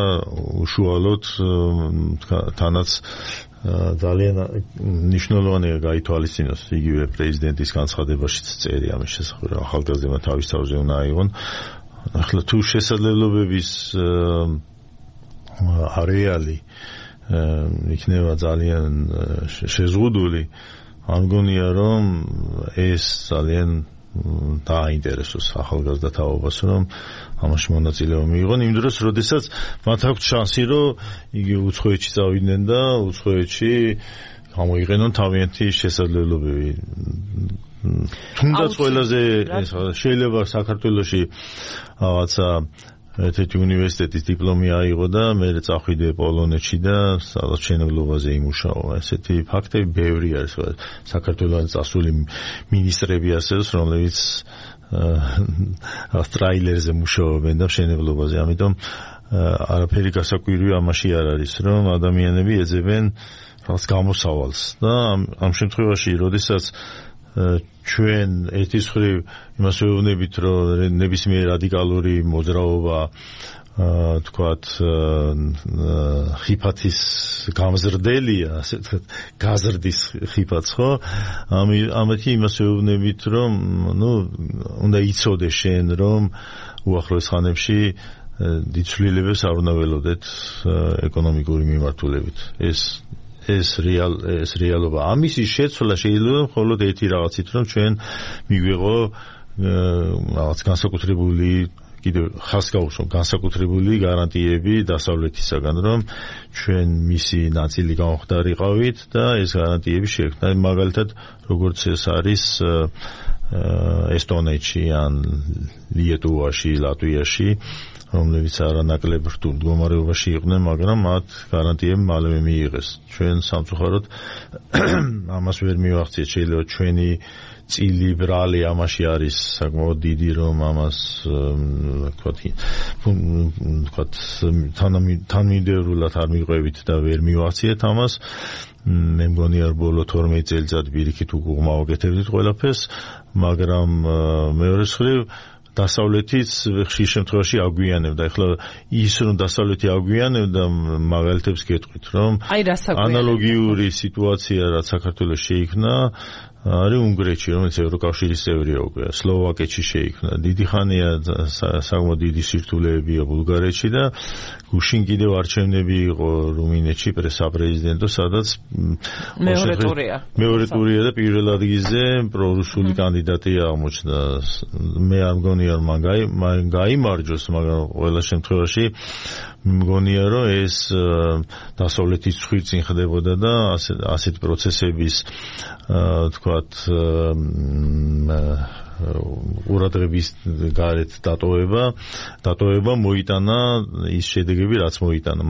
უშუალოდ თანაც ძალიან მნიშვნელოვანია გაითვალისწინოს, იგივე პრეზიდენტის განცხადებაშიც წერია ამის შესახებ, რომ ახალგაზრდებმა თავის თავზე უნდა აიღონ. ახლა თუ შესაძლებლობების არეალი იქნება ძალიან შეზღუდული, ამგონია რომ ეს ძალიან დააინტერესოს ახალგაზრდა თაობას, რომ ამაში მონაწილეობა მიიღონ იმ დროს, როდესაც მათ აქვს შანსი, რომ იგი უცხოეთში წავიდნენ და უცხოეთში გამოიყენონ თავიანთი შესაძლებლობები. თუნდაც ყველაზე შეიძლება საქართველოში რაღაცა ერთ-ერთი უნივერსიტეტის დიპლომი აიღო და მერე წახვიდე პოლონეთში და სადაც მშენებლობაზე იმუშაო. ესეთი ფაქტები ბევრი არის. საქართველოს წასული მინისტრები ასეც, რომლებიც ტრაილერზე მუშაობენ და მშენებლობაზე. ამიტომ არაფერი გასაკვირი ამაში არ არის, რომ ადამიანები ეძებენ რაღაც გამოსავალს და ამ შემთხვევაში, როდესაც ჩვენ ერთის მხრივ იმას ვეუბნებით, რომ ნებისმიერ რადიკალური მოძრაობა თქვათ ხიფათის გამზრდელია, ასე ვთქვათ, გაზრდის ხიფათს, ხო? ამეთი იმას ვეუბნებით, რომ უნდა იცოდე შენ, რომ უახლოეს ხანებში დიდ ცვლილებებს არ უნდა ველოდეთ ეკონომიკური მიმართულებით. ეს რეალობა. ამისი შეცვლა შეიძლება მხოლოდ ერთი რაღაცით, რომ ჩვენ მიგვიღო რაღაც განსაკუთრებული კიდევ ხას გავუსვამ განსაკუთრებული გარანტიები დასავლეთისაგან, რომ ჩვენ მისი ნაწილი გამხდარიყავით და ეს გარანტიები შეექმნა. მაგალითად, როგორც ეს არის ესტონეთში ან ლიეტუვაში, ლატვიაში, რომლებიც არანაკლებ რთულ მდგომარეობაში იყვნენ, მაგრამ მათ გარანტიები მალევე მიიღეს. ჩვენ სამწუხაროდ ამას ვერ მივახციეთ, შეიძლება ჩვენი წილი ბრალი ამაში არის საკმაოდ დიდი, რომ ამას ვთქვათ თანმიმდევრულად არ მივყვებით და ვერ მივახციეთ ამას. მე მგონია რომ ბოლო 12 წელიწად პირიქით უკუღმა ვაკეთებდით ყველაფერს, მაგრამ მეორე მხრივ დასავლეთიც ხშირ შემთხვევაში აგვიანებდა. ეხლა ის რომ დასავლეთი აგვიანებდა, მაგალითებს გეტყვით, რომ ანალოგიური სიტუაცია რაც საქართველოს შეიქმნა არის უნგრეთში, რომელიც ევროკავშირის წევრია უკვე, სლოვაკეთში შეიქმნა. დიდი ხანია საკმაოდ დიდი სირთულეებია ბულგარეთში და გუშინ კიდევ არჩევნები იყო რუმინეთში პრესაპრეზიდენტო, სადაც მეორე ტურია და პირველ ადგილზე პრორუსული კანდიდატი აღმოჩნდა. მე არ მგონია რომ მან გაიმარჯვოს, მაგრამ ყველა შემთხვევაში მგონია რომ ეს დასავლეთის ცხვირწინ ხდებოდა და ასეთ პროცესების თქვათ ყურადღების გარეთ დატოვება მოიტანა ის შედეგები რაც მოიტანა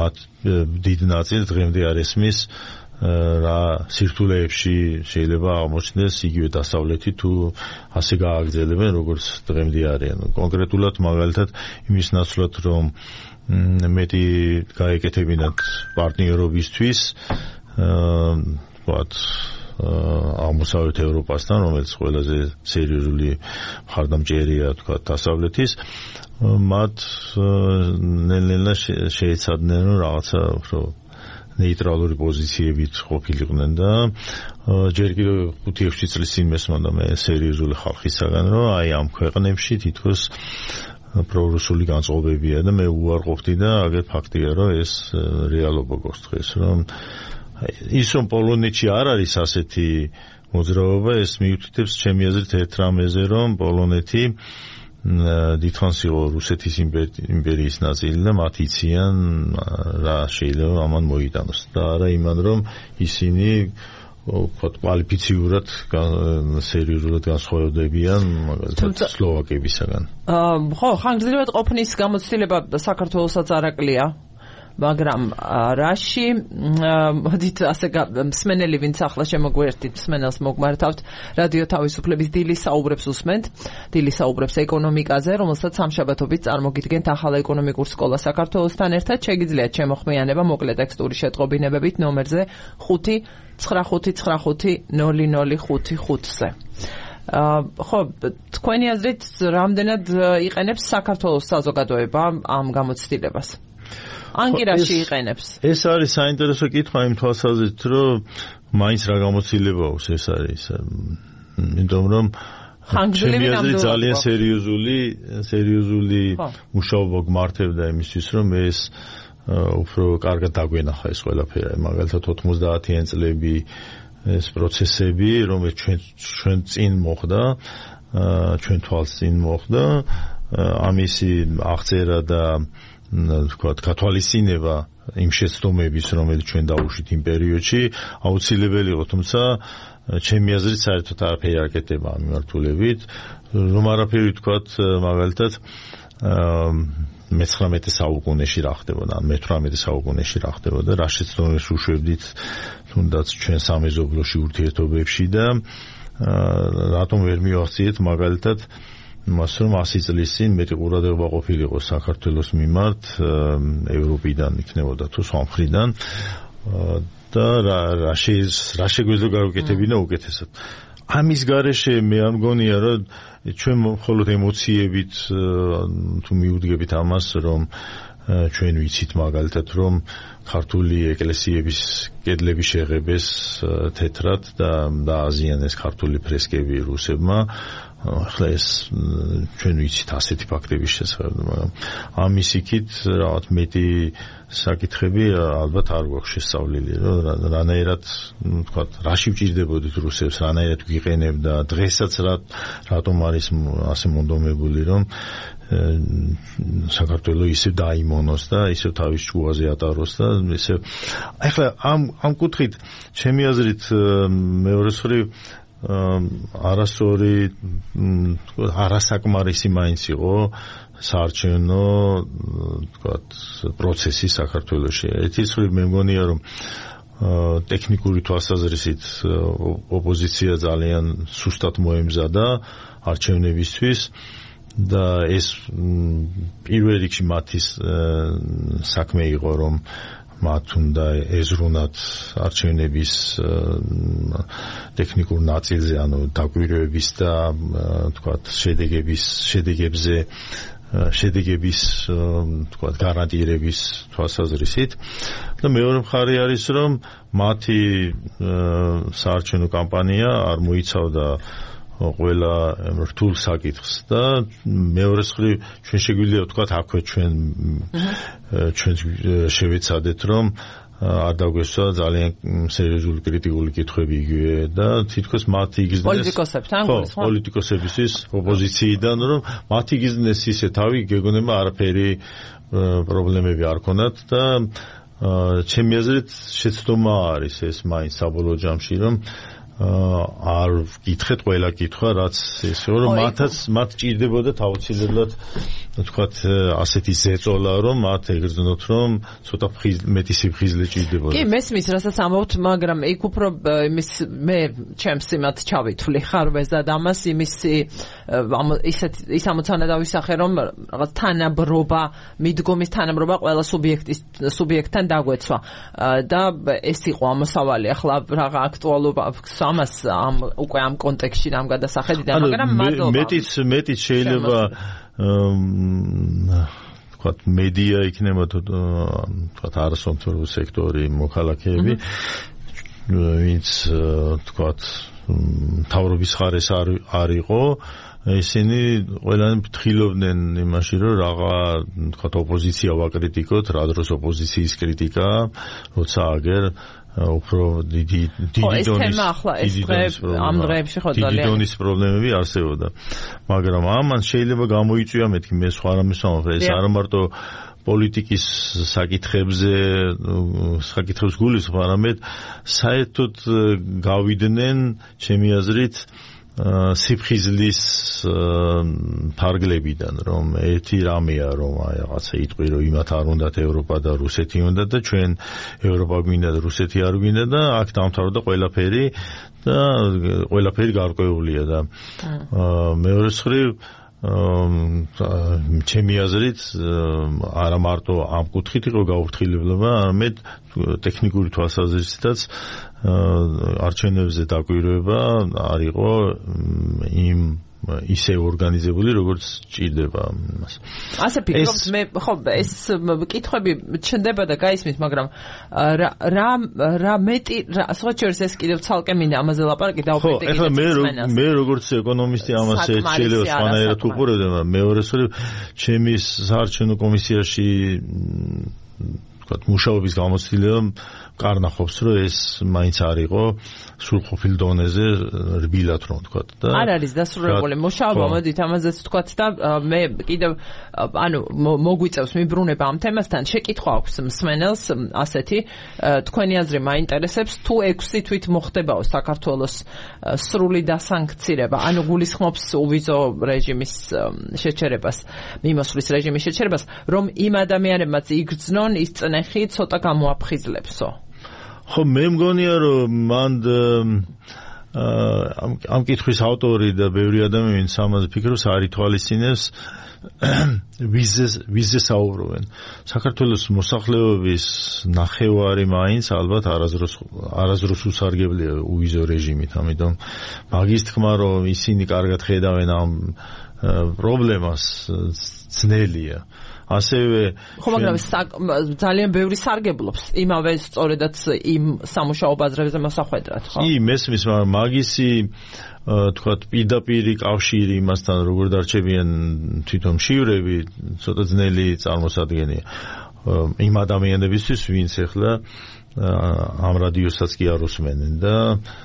მათ დიდ ნაწილს დღემდე არ ესმის რა სირთულეებში შეიძლება აღმოჩნდეს იგივე დასავლეთი თუ ასე გააგრძელებენ როგორც დღემდე არიან. კონკრეტულად მაგალითად იმის ნაცვლად რომ მეტი გაეკეთებინათ პარტნიორობისთვის ვთქვათ აღმოსავლეთ ევროპასთან, რომელიც ყველაზე სერიოზული მხარდამჭერია თქვათ დასავლეთის, მათ ნელ-ნელა შეეცადნენ რომ რაღაცა უფრო ნეიტრალური პოზიციებით ყოფილიყვნენ და ჯერ კიდევ 5-6 წლის წინ მესმოდა მე სერიოზული ხალხისაგან რომ აი ამ ქვეყნებში თითქოს პრორუსული განწყობებია და მე უარყოფდი და აგერ ფაქტია რომ ეს რეალობა გვაქვს დღეს, რომ ის რომ პოლონეთში არ არის ასეთი მოძრაობა, ეს მიუთითებს ჩემი აზრით ერთ რამეზე, რომ პოლონეთი დიდხანს იყო რუსეთის იმპერიის ნაწილი და მათ იციან რა შეიძლება ამან მოიტანოს და არა იმან რომ ისინი კვალიფიციურად სერიოზულად განსხვავდებიან მაგალითად სლოვაკებისაგან. ხო, ხანგრძლივად ყოფნის გამოცდილება საქართველოსაც არაკლია, მაგრამ რაში მოდით ასე მსმენელი ვინც ახლა შემოგვერთით მსმენელს მოგმართავთ რადიო თავისუფლების დილის საუბრებს უსმენთ. დილის საუბრებს ეკონომიკაზე, რომელსაც სამშაბათობით წარმოგიდგენთ ახალ ეკონომიკურ სკოლას საქართველოსთან ერთად. შეგიძლიათ შემოხმიანება მოკლე ტექსტური შეტყობინებებით ნომერზე 5995005-ზე. ხო, თქვენი აზრით რამდენად იყენებს საქართველოს საზოგადოება ამ გამოცდილებას? ანგირაში იყენებს. ეს არის საინტერესო კითხვა იმ თვალსაზრისით, რომ მაინც რა გამოცდილება აქვს ეს არის. იმიტომ რომ ძალიან სერიოზული მუშაობა გმართებდა იმისთვის, რომ ეს უფრო კარგად დაგვენახა ეს ყველაფერი. მაგალითად 90-იან წლები ეს პროცესები, რომელიც ჩვენ წინ მოხდა, ჩვენ თვალს წინ მოხდა, ამისი აღწერა და თქვათ გათვალისწინება იმ შეცდომების, რომელიც ჩვენ დავუშვით იმ პერიოდში, აუცილებელი იყო, თუმცა ჩემი აზრით საერთოდ არაფერი არ კეთდება ამ მიმართულებით. რომ არაფერი თქვათ, მაგალითად მე-19 საუკუნეში რა ხდებოდა, ან მე-18 საუკუნეში რა ხდებოდა, რა შეცდომებს უშვებდით თუნდაც ჩვენ სამეზობლოში ურთიერთობებში და რატომ ვერ მივახციეთ მაგალითად მას რომ 100 წლის წინ მეტი ყურადღება ყოფილიყო საქართველოს მიმართ ევროპიდან იქნებოდა თუ სხვა მხრიდან და რა შეგვეძლო გავუკეთებინა უკეთესად. ამის გარეშე მე არ მგონია რომ ჩვენ მხოლოდ ემოციებით თუ მიუდგებით ამას რომ ჩვენ ვიცით მაგალითად რომ ქართული ეკლესიების კედლები შეღებეს თეთრად და დააზიანეს ქართული ფრესკები რუსებმა. ახლა ეს ჩვენ ვიცით ასეთი ფაქტების შესახებ, მაგრამ ამის იქით რაღაც მეტი საკითხები ალბათ არ გვაქვს შესწავლილი, რომ რანაირად ვთქვათ, რაში ვჭირდებოდით რუსებს, რანაირად გვიყენებდა, დღესაც რატომ არის ასე მონდომებული, რომ საქართველო ისე დაიმონოს და ისე თავის ჭკუაზე ატაროს და ისე ახლა ამ კუთხით ჩემი აზრით მეორე მხრივ არასწორი არასაკმარისი მაინც იყო საარჩევნო თქვათ პროცესი საქართველოში. ერთის მხრივ მე მგონია რომ ტექნიკური თვალსაზრისით ოპოზიცია ძალიან სუსტად მოემზადა არჩევნებისთვის და ეს პირველ რიგში მათი საქმე იყო რომ მათ უნდა ეზრუნათ არჩევნების ტექნიკურ ნაწილზე, ანუ დაკვირვების და თქვათ შედეგების თქვათ გარანტირების თვალსაზრისით და მეორე მხარე არის რომ მათი საარჩევნო კამპანია არ მოიცავდა ყველა რთულ საკითხს და მეორე მხრივ ჩვენ შეგვიძლია ვთქვათ აქვე ჩვენ შევეცადეთ რომ არ დაგვესვა ძალიან სერიოზული კრიტიკული კითხვები იგივე და თითქოს მათ იგრძნეს პოლიტიკოსებისთვის ოპოზიციიდან რომ მათ იგრძნეს ისე თავი გეგონება არაფერი პრობლემები არ ქონათ და ჩემი აზრით შეცდომა არის ეს მაინც საბოლოო ჯამში რომ არ გითხეთ ყველა კითხვა რაც ესე რომ მათ ჭირდებოდა თავისუფლად თქვათ ასეთი ზეწოლა რომ მათ ეგრძნოთ რომ ცოტა მეტი სიფხიზლე ჭირდებოდა. კი მესმის რასაც ამბობთ, მაგრამ იქ უფრო იმის მე ჩემს იმათ ჩავითვლი ხარვეზად ამას იმის ის ამოცანა დავისახე რომ რაღაც თანაბრობა მიდგომის თანაბრობა ყველა სუბიექტთან დაგვეცვა და ეს იყო ამოსავალი ახლა რაღა აქტუალობა ამას უკვე ამ კონტექსტში ამ გადასახედიდან მაგრამ მეტიც შეიძლება თქვათ მედია იქნება თქვათ არასომთავრობო სექტორი მოქალაქეები ვინც თქვათ მთავრობის ხარეს არ იყო ისინი ყველანი ფრთხილობდნენ იმაში რომ რაღა თქვათ ოპოზიცია ვაკრიტიკოთ რა დროს ოპოზიციის κρიტიკა როცა აგერ უფრო დიდი დონის პრობლემები არსებობდა მაგრამ ამან შეიძლება გამოიწვია მეთქი მე სხვა რამეს ვამბობ ეს არ მარტო პოლიტიკის საკითხებს გულისხმობს არამედ საერთოდ გავიდნენ ჩემი აზრით სიფხიზლის ფარგლებიდან რომ ერთი რამეა რომ რაღაცა იტყვი რომ იმათ არ უნდათ ევროპა და რუსეთი უნდა და ჩვენ ევროპა გვინდა და რუსეთი არ გვინდა და აქ დამთავრდა ყველაფერი და ყველაფერი გარკვეულია და მეორე მხრივ ჩემი აზრით არა მარტო ამ კუთხით იყო გაუფრთხილება, არამედ ტექნიკური თვალსაზრისითაც არჩევნებზე დაკვირვება არ იყო იმ ისე ორგანიზებული როგორც ჭირდება მას. ასე ფიქრობთ მე ხო ეს კითხვები ჩნდება და გაისმის მაგრამ რა მეტი სხვა შორის ეს კიდევ ცალკე მინდა ამაზე ლაპარაკი დაუბრუნდეთ. ეხლა მე როგორც ეკონომისტი ამას შეიძლება სხვანაირად უყურებდი, მაგრამ მეორე მხრივ ჩემი საარჩევნო კომისიაში მუშაობის გამოცდილება კარნახობს რომ ეს მაინც არ იყო სრულყოფილ დონეზე რბილად რომ ვთქვათ და არ არის დასრულებული მუშაობა მოდით ამაზეც ვთქვათ და მე კიდევ ანუ მოგვიწევს მიბრუნება ამ თემასთან შეკითხვა აქვს მსმენელს ასეთი თქვენი აზრი მაინტერესებს თუ 6 თვით მოხდებაო საქართველოს სრული დასანქცირება ანუ გულისხმობს უვიზო რეჟიმის შეჩერებას მიმოსვლის რეჟიმის შეჩერებას რომ იმ ადამიანებმაც იგრძნონ ის წნეხი ცოტა გამოაფხიზლებსო ხო მე მგონია რომ მან ამ კითხვის ავტორი და ბევრი ადამიანი ამაზე ფიქრობს არ ითვალისწინებს ვიზზე საუბრობენ საქართველოს მოსახლეობის ნახევარი მაინც ალბათ არაზრუს უსარგებლია უვიზო რეჟიმით ამიტომ მაგის თქმა რომ ისინი კარგად ხედავენ ამ პრობლემას ძნელია ასევე ხო მაგრამ ძალიან ბევრი სარგებლობს იმავე სწორედაც იმ სამუშაო ბაზრებზე მოსახვედრად ხო? კი მესმის მაგრამ მაგისი თქვათ პირდაპირი კავშირი იმასთან როგორ დარჩებიან თვითონ მშივრები ცოტა ძნელი წარმოსადგენია იმ ადამიანებისთვის, ვინც ახლა ამ რადიოსაც კი არ უსმენენ და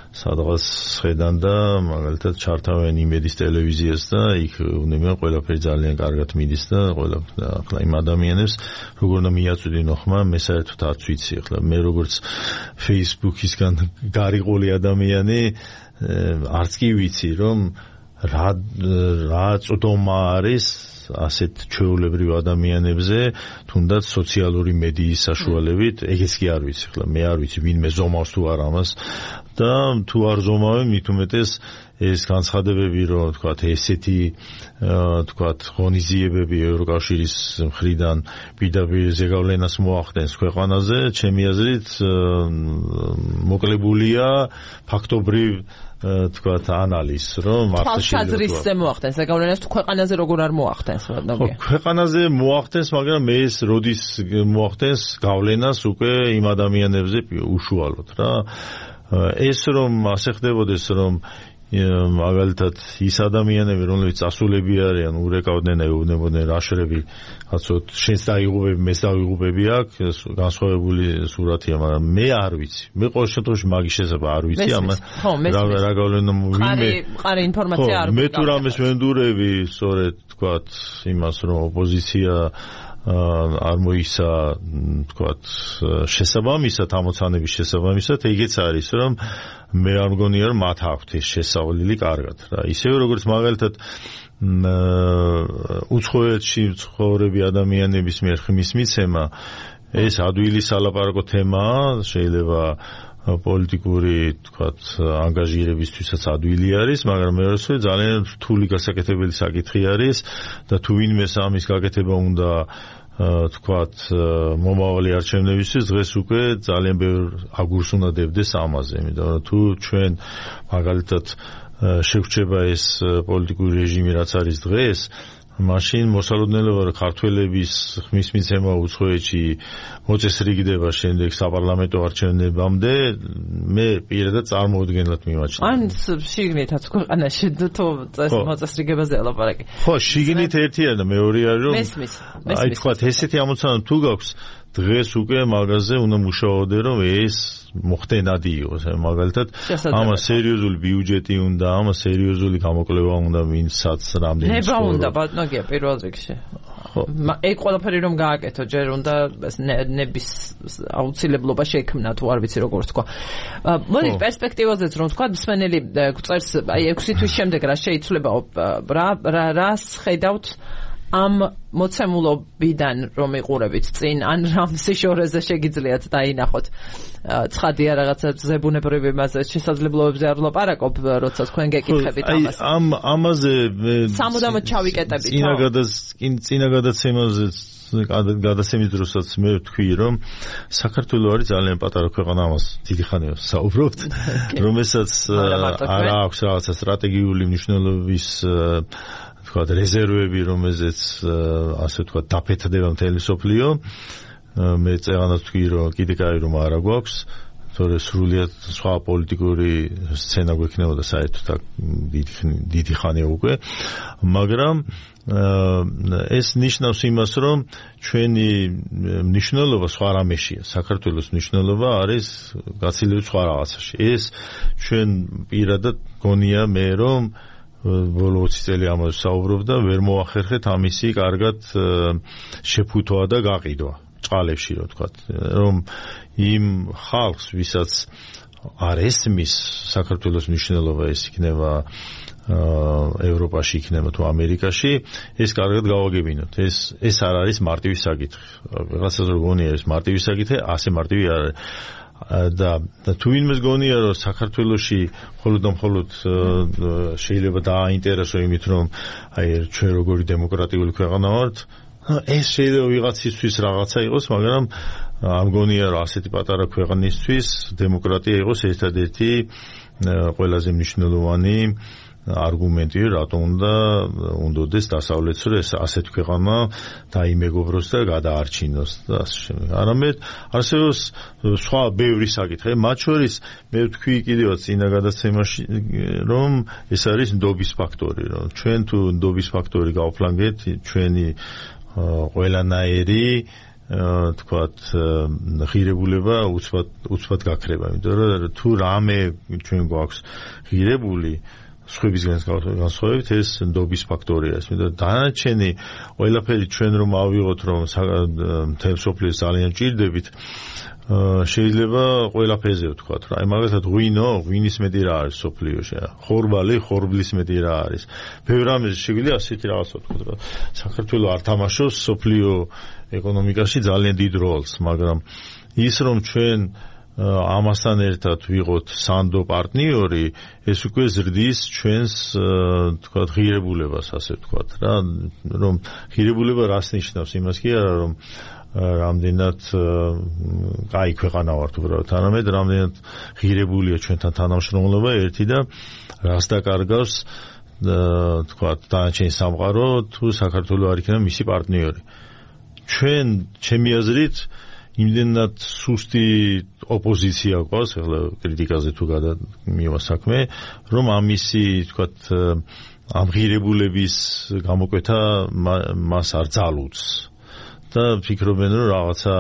სადღაც ხედან და მაგალითად ჩართავენ იმედის ტელევიზიას და იქ უნებიან ყველაფერი ძალიან კარგად მიდის და ახლა იმ ადამიანებს როგორ უნდა მიაწვდინო ხმა მე საერთოდ არც ვიცი ახლა მე როგორც Facebook-ისგან გარიყოლი ადამიანი არც კი ვიცი რომ რა წვდომა არის ასეთ ჩვეულებრივ ადამიანებზე თუნდაც სოციალური მედიის საშუალებით ეგეც კი არ ვიცი ხლა მე არ ვიცი ვინმე ზომავს თუ არ ამას და თუ არ ზომავენ მით უმეტეს ეს განცხადებები რომ თქვათ ესეთი თქვათ ღონისძიებები ევროკავშირის მხრიდან პირდაპირ ზეგავლენას მოახდენს ქვეყანაზე ჩემი აზრით მოკლებულია ფაქტობრივ თქვათ ანალიზ რომ თვალსაზრისზე მოახდენს ზეგავლენას თუ ქვეყანაზე როგორ არ მოახდენს ქვეყანაზე მოახდენს მაგრამ მე ეს როდის მოახდენს გავლენას უკვე იმ ადამიანებზე უშუალოდ რა ეს რომ ასე ხდებოდეს რომ მაგალითად ის ადამიანები რომლებიც წასულები არიან ურეკავდნენ ეუბნებოდნენ რა შრები კაცოთ შენს დაიღუპები მეც დავიღუპები აქ განსხვავებული სურათია მაგრამ მე არ ვიცი მე ყოველ შემთხვევაში მაგის შესაძლებლობა არ ვიცი რა გავლენა ვინმე მყარი ინფორმაცია არ მე თუ რამეს ვენდურები სწორედ თქვათ იმას რომ ოპოზიცია არ მოისა თქვათ შესაბამისად ამოცანების შესაბამისად ეგეც არის რომ მე არ მგონია რომ მათ აქვთ ეს შესავლილი კარგად რა ისევე როგორც მაგალითად უცხოეთში ცხოვრები ადამიანების მიერ ხმის მიცემა ეს ადვილი სალაპარაკო თემაა შეიძლება პოლიტიკური თქვათ ანგაჟირებისთვისაც ადვილი არის მაგრამ მე რასო ძალიან რთული გასაკეთებელი საკითხი არის და თუ ვინმე ამის გაკეთება უნდა თქვათ მომავალი არჩევნებისთვის დღეს უკვე ძალიან ბევრ აგურს უნდა დებდეს ამაზე იმიტომ რომ თუ ჩვენ მაგალითად შეგვრჩება ეს პოლიტიკური რეჟიმი რაც არის დღეს მაშინ მოსალოდნელობა რომ ქართველების ხმის მიცემა უცხოეთში მოწესრიგდება შემდეგ საპარლამენტო არჩევნებამდე მე პირადად წარმოუდგენლად მიმაჩნია. ან შიგნითაც ქვეყანაში თუ მოწესრიგებაზე ლაპარაკი. ხო, შიგნით ერთი არის და მეორე არის რომ აი თქვა ესეთი ამოცანა თუ გაქვს დღეს უკვე მაგაზე უნდა მუშაობდე რომ ეს მოხდენადი იყოს მაგალითად ამას სერიოზული ბიუჯეტი უნდა ამას სერიოზული გამოკვლევა უნდა ვინცაც რამდენი ნება უნდა ბატონია პირველ რიგში ეგ ყველაფერი რომ გააკეთო ჯერ უნდა ნების აუცილებლობა შექმნა თუ არ ვიცი როგორ თქვა მოდი პერსპექტივაზეც რომ თქვა მსმენელი გვწერს აი 6 თვის შემდეგ რა შეიცვლებაო რას ხედავთ ამ მოცემულობიდან რომ იყურებით წინ ან რამსიშორეზე შეგიძლიათ დაინახოთ ცხადია რაღაცა ზებუნებრივი მასე შესაძლებლობებზე არ ვლაპარაკობ როცა თქვენ გეკითხებით ამას ამაზე სამუდამოდ ჩავიკეტებით წინა გადაცემაზე გადაცემის დროსაც მე ვთქვი რომ საქართველო არის ძალიან პატარა ქვეყანა ამას დიდი ხანია საუბრობთ რომელსაც არ აქვს რაღაცა სტრატეგიული მნიშვნელობის თქვათ რეზერვები რომელზეც ასე თქვათ დაფეთდება მთელი სოფლიო მე წეღანად ვთქვი რომ კიდე კაი რომ არა გვაქვს თორე სრულიად სხვა პოლიტიკური სცენა გვექნებოდა საერთოდ აქ დიდი ხანია უკვე მაგრამ ეს ნიშნავს იმას რომ ჩვენი მნიშვნელობა სხვა რამეშია საქართველოს მნიშვნელობა არის გაცილებით სხვა რაღაცაში ეს ჩვენ პირადად გონია მე რომ ბოლო 20 წელი ამაზე საუბრობ და ვერ მოახერხეთ ამისი კარგად შეფუთვა და გაყიდვა წყალებში რო თქვა რომ იმ ხალხს ვისაც არ ესმის საქართველოს მნიშვნელობა ეს იქნება ევროპაში იქნება თუ ამერიკაში ეს კარგად გავაგებინოთ ეს არ არის მარტივი საკითხი რაღაცას რო გონია ეს მარტივი საკითხი ასე მარტივი არ არის და თუ ვინმეს გონია რომ საქართველოში მხოლოდ შეიძლება დააინტერესო იმით რომ აი ჩვენ როგორი დემოკრატიული ქვეყანა ვართ ეს შეიძლება ვიღაცისთვის რაღაცა იყოს მაგრამ არ მგონია რომ ასეთი პატარა ქვეყნისთვის დემოკრატია იყოს ერთადერთი ყველაზე მნიშვნელოვანი არგუმენტი რატომ უნდადეს დასავლეთს რომ ეს ასეთ ქვეყანა დაიმეგობროს და გადაარჩინოს და ასე შემდეგ. არამედ არსებობს სხვა ბევრი საკითხი. მათ შორის მე ვთქვი კიდევაც წინა გადაცემაში რომ ეს არის ნდობის ფაქტორი, რომ ჩვენ თუ ნდობის ფაქტორი გავფლანგეთ ჩვენი ყველანაირი თქვათ ღირებულება უცბად გაქრება, იმიტომ რომ თუ რამე ჩვენ გვაქვს ღირებული სხვებისგან განსხვავებით ეს ნდობის ფაქტორია. იმიტომ დანარჩენი ყველაფერი ჩვენ რომ ავიღოთ რომ მთელ სოფლიოს ძალიან ჭირდებით შეიძლება ყველაფერზე ვთქვათ რა. აი მაგალითად ღვინის მეტი რა არის სოფლიოში, ხორბალი ხორბლის მეტი რა არის. ბევრ რამეზე შეგვიძლია ასეთი რაღაცა ვთქვათ რა. საქართველოს არ თამაშობს სოფლიო ეკონომიკაში ძალიან დიდ როლს, მაგრამ ის რომ ჩვენ ამასთან ერთად ვიღოთ სანდო პარტნიორი, ეს უკვე ზრდის ჩვენს თქვათ ღირებულებას, ასე ვთქვათ რა, რომ ღირებულება რას ნიშნავს? იმას კი არა რომ რამდენად კაი ქვეყანა ვართ უბრალოდ, არამედ რამდენად ღირებულია ჩვენთან თანამშრომლობა ერთი და რას დაკარგავს თქვათ დანარჩენი სამყარო თუ საქართველოს არ იქნება მისი პარტნიორი. ჩვენ ჩემი აზრით იმდენად სუსტი ოპოზიცია გვყავს, ახლა კრიტიკაზე თუ გადამივა საქმე, რომ ამისი თქვათ ამ ღირებულების გამოკვეთა მას არ ძალუძს და ფიქრობენ რომ რაღაცა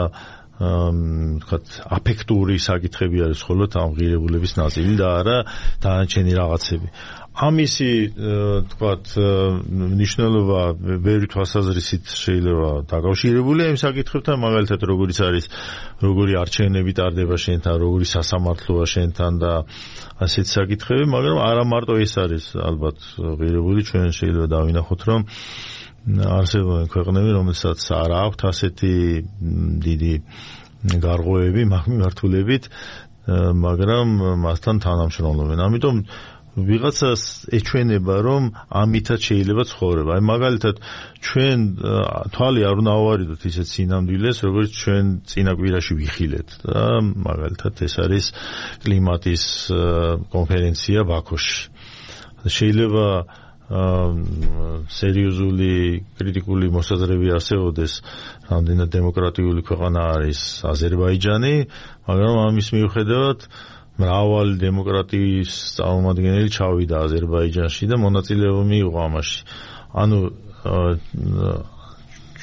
თქვათ აფექტური საკითხები არის მხოლოდ ამ ღირებულების ნაწილი და არა დანარჩენი რაღაცები. ამისი თქვათ მნიშვნელობა ბევრი თვალსაზრისით შეიძლება დაკავშირებულია იმ საკითხებთან, მაგალითად როგორიც არის როგორი არჩევნები ტარდება შენთან, როგორი სასამართლოა შენთან და ასეთ საკითხები, მაგრამ არა მარტო ეს არის ალბათ ღირებული, ჩვენ შეიძლება დავინახოთ რომ არსებობენ ქვეყნები, რომელსაც არ აქვთ ასეთი დიდი გარღვევები მაგ მიმართულებით, მაგრამ მასთან თანამშრომლობენ. ამიტომ ვიღაცას ეჩვენება რომ ამითაც შეიძლება ცხოვრება. აი მაგალითად ჩვენ თვალი არ უნდა ავარიდოთ ისეთ სინამდვილეს, როგორც ჩვენ წინა კვირაში ვიხილეთ და მაგალითად ეს არის კლიმატის კონფერენცია ბაქოში. შეიძლება სერიოზული კრიტიკული მოსაზრები არსებობდეს, რამდენად დემოკრატიული ქვეყანა არის აზერბაიჯანი, მაგრამ ამის მიუხედავად მრავალი დემოკრატიის წარმომადგენელი ჩავიდა აზერბაიჯანში და მონაწილეობა მიიღო ამაში. ანუ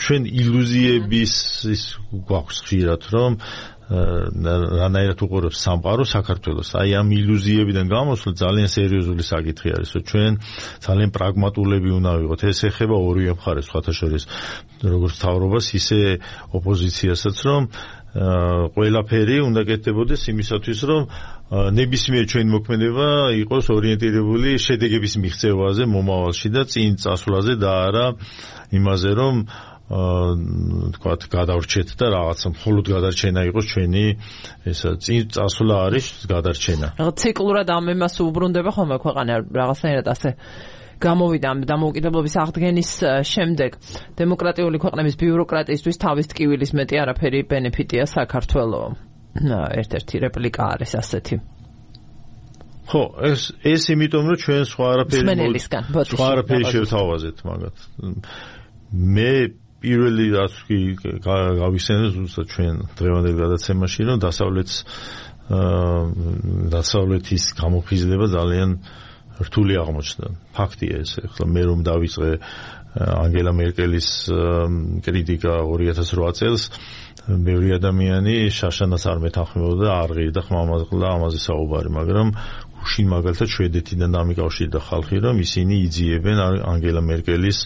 ჩვენ ილუზიების ის გვაქვს ხშირად, რომ რანაირად უყურებს სამყარო საქართველოს. აი ამ ილუზიებიდან გამოსვლა ძალიან სერიოზული საკითხი არის, რომ ჩვენ ძალიან პრაგმატულები უნდა ვიყოთ. ეს ეხება ორივე მხარეს, სხვათა შორის როგორც მთავრობას, ისე ოპოზიციასაც, რომ ყველაფერი უნდა კეთდებოდეს იმისათვის, რომ ნებისმიერ ჩვენი მოქმედება იყოს ორიენტირებული შედეგების მიღწევაზე მომავალში და წინ წასვლაზე და არა იმაზე, რომ თქვათ გადავრჩეთ და რაღაცა მხოლოდ გადარჩენა იყოს ჩვენი ესა წინ წასვლა არის გადარჩენა. რაღაც ციკლურად ამ იმას უბრუნდება ხოლმე ქვეყანა რაღაცნაირად ასე გამოვიდა ამ დამოუკიდებლობის აღდგენის შემდეგ დემოკრატიული ქვეყნების ბიუროკრატიისთვის თავის ტკივილის მეტი არაფერი ბენეფიტია საქართველოს. ერთ-ერთი რეპლიკა არის ასეთი. ხო, ეს იმიტომ რომ ჩვენ სხვა არაფერი შევთავაზეთ მაგათ. მე პირველი რაც კი გავიხსენე ზუსტად ჩვენ დღევანდელ გადაცემაში, რომ დასავლეთის გამოფხიზლება ძალიან რთული აღმოჩნდა. ფაქტია ეს. ახლა მე რომ დავიწყე ანგელა მერკელის კრიტიკა 2008 წელს, ბევრი ადამიანი შაშანას არ მეთანხმებოდა, არ ღირდა ხმამაღლა ამაზე საუბარი, მაგრამ გუშინ მაგალითად შვედეთიდან დამიკავშირდა ხალხი, რომ ისინი იძიებენ ანგელა მერკელის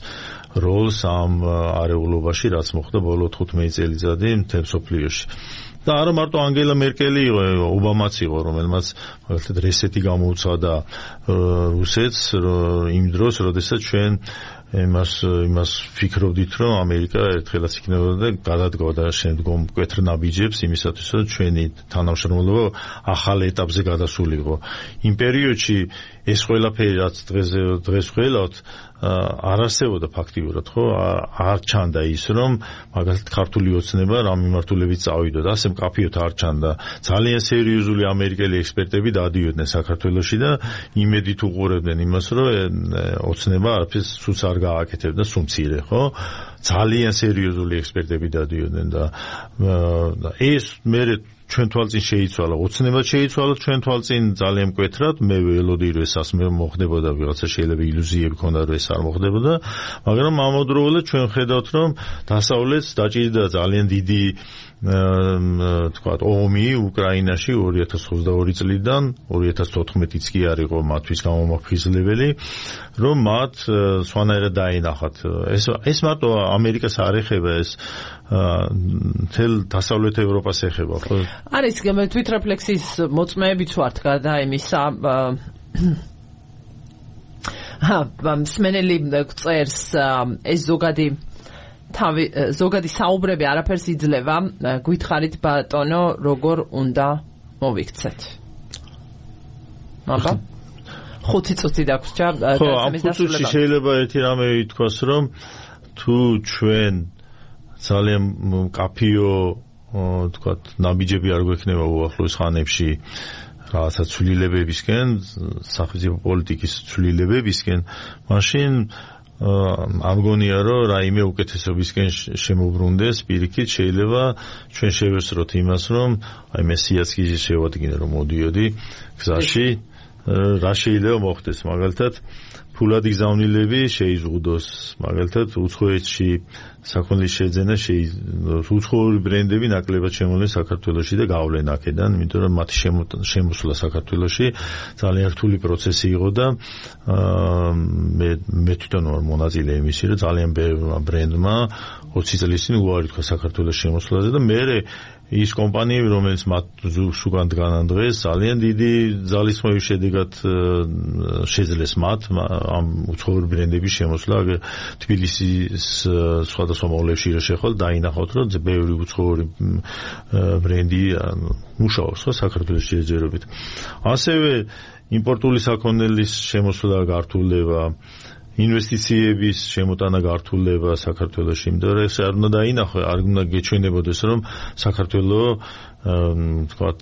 როლს ამ არეულობაში, რაც მოხდა ბოლო 15 წელიწადი მთელ მსოფლიოში. და არა მარტო ანგელა მერკელი იყო, ობამაც იყო, რომელმაც მაგალითად რესეტი გამოუცხადა რუსეთს იმ დროს, როდესაც ჩვენ იმას ფიქრობდით, რომ ამერიკა ერთხელაც იქნებოდა და გადადგოდა შემდგომ მკვეთრ ნაბიჯებს იმისათვის, რომ ჩვენი თანამშრომლობა ახალ ეტაპზე გადასულიყო. იმ პერიოდში ეს ყველაფერი რაც დღეს ველავთ არ არსებობდა ფაქტიურად, ხო? არ ჩანდა ის, რომ მაგალითად ქართული ოცნება რამ მიმართულებით წავიდოდა, ასე მკაფიოდ არ ჩანდა. ძალიან სერიოზული ამერიკელი ექსპერტები დადიოდნენ საქართველოში და იმედით უყურებდნენ იმას, რომ ოცნება არაფერს სულს არ გააკეთებდა, სულ მცირე, ხო? ძალიან სერიოზული ექსპერტები დადიოდნენ და ეს მე ჩვენ თვალწინ შეიცვალა, ოცნებად შეიცვალა ჩვენ თვალწინ ძალიან მკვეთრად, მე ველოდი რომ ეს ასე მოხდებოდა, ვიღაცა შეიძლება ილუზიები ქონდა რომ ეს არ მოხდებოდა, მაგრამ ამავდროულად ჩვენ ხედავთ რომ დასავლეთს დაჭირდა ძალიან დიდი თქვათ ომი უკრაინაში 2022 წლიდან 2014-იც კი არ იყო მათთვის გამომაფხიზლებელი, რომ მათ სვანაერად დაინახათ. ეს მარტო ამერიკას არ ეხება, ეს თელ დასავლეთ ევროპას ეხება, ხო? არის თვითრეფლექსიის მოწმეებიც ვართ გადა იმისა მსმენელი წერს ეს ზოგადი საუბრები არაფერს იძლევა, გითხარით ბატონო, როგორ უნდა მოვიქცეთ. აბა 5 წუთი დაგვრჩა გასამის დასრულებამდე. ხო, შეიძლება ერთი რამე ითქვას, რომ თუ ჩვენ ძალიან კაფიო თქვათ ნაბიჯები არ გვექნება უახლოეს ხანებში რაღაცა ცვლილებებისკენ, სახელმწიფო პოლიტიკის ცვლილებებისკენ, მაშინ არ მგონია რომ რაიმე უკეთესობისკენ შემოbrunდეს პირიქით შეიძლება ჩვენ შევესწროთ იმას რომ აი მესიაც კი შევადგინე რომ მოდიოდი გზაში რა შეიძლება მოხდეს მაგალითად ფულადი გზავნილები შეიზღუდოს მაგალითად უცხოეთში საქონლის შეძენა უცხოური ბრენდები ნაკლებად შემოვლენ საქართველოში და გავლენ აქედან, იმიტომ რომ მათი შემოსვლა საქართველოში ძალიან რთული პროცესი იყო და მე თვითონ ვარ მონაწილე იმისი, რომ ძალიან ბევრმა ბრენდმა 20 წლის წინ უარი თქვა საქართველოს შემოსვლაზე და მე ის კომპანიები, რომელიც მათ ზუსტად დგანან დღეს, ძალიან დიდი ძალისხმევის შედეგად შეძლეს მათ ამ უცხოური ბრენდების შემოსვლა. თბილისის სხვადასხვა მოლებში რო შეხვალ დაინახავთ, რომ ბევრი უცხოური ბრენდი მუშაობს საქართველოს შეჯერებით. ასევე იმპორტული საქონელის შემოსვლა გართულდება, ინვესტიციების შემოტანა გართულდება საქართველოში, იმიტომ რომ ეს არ უნდა დაინახო, არ უნდა გეჩვენებოდეს, რომ საქართველო თქვათ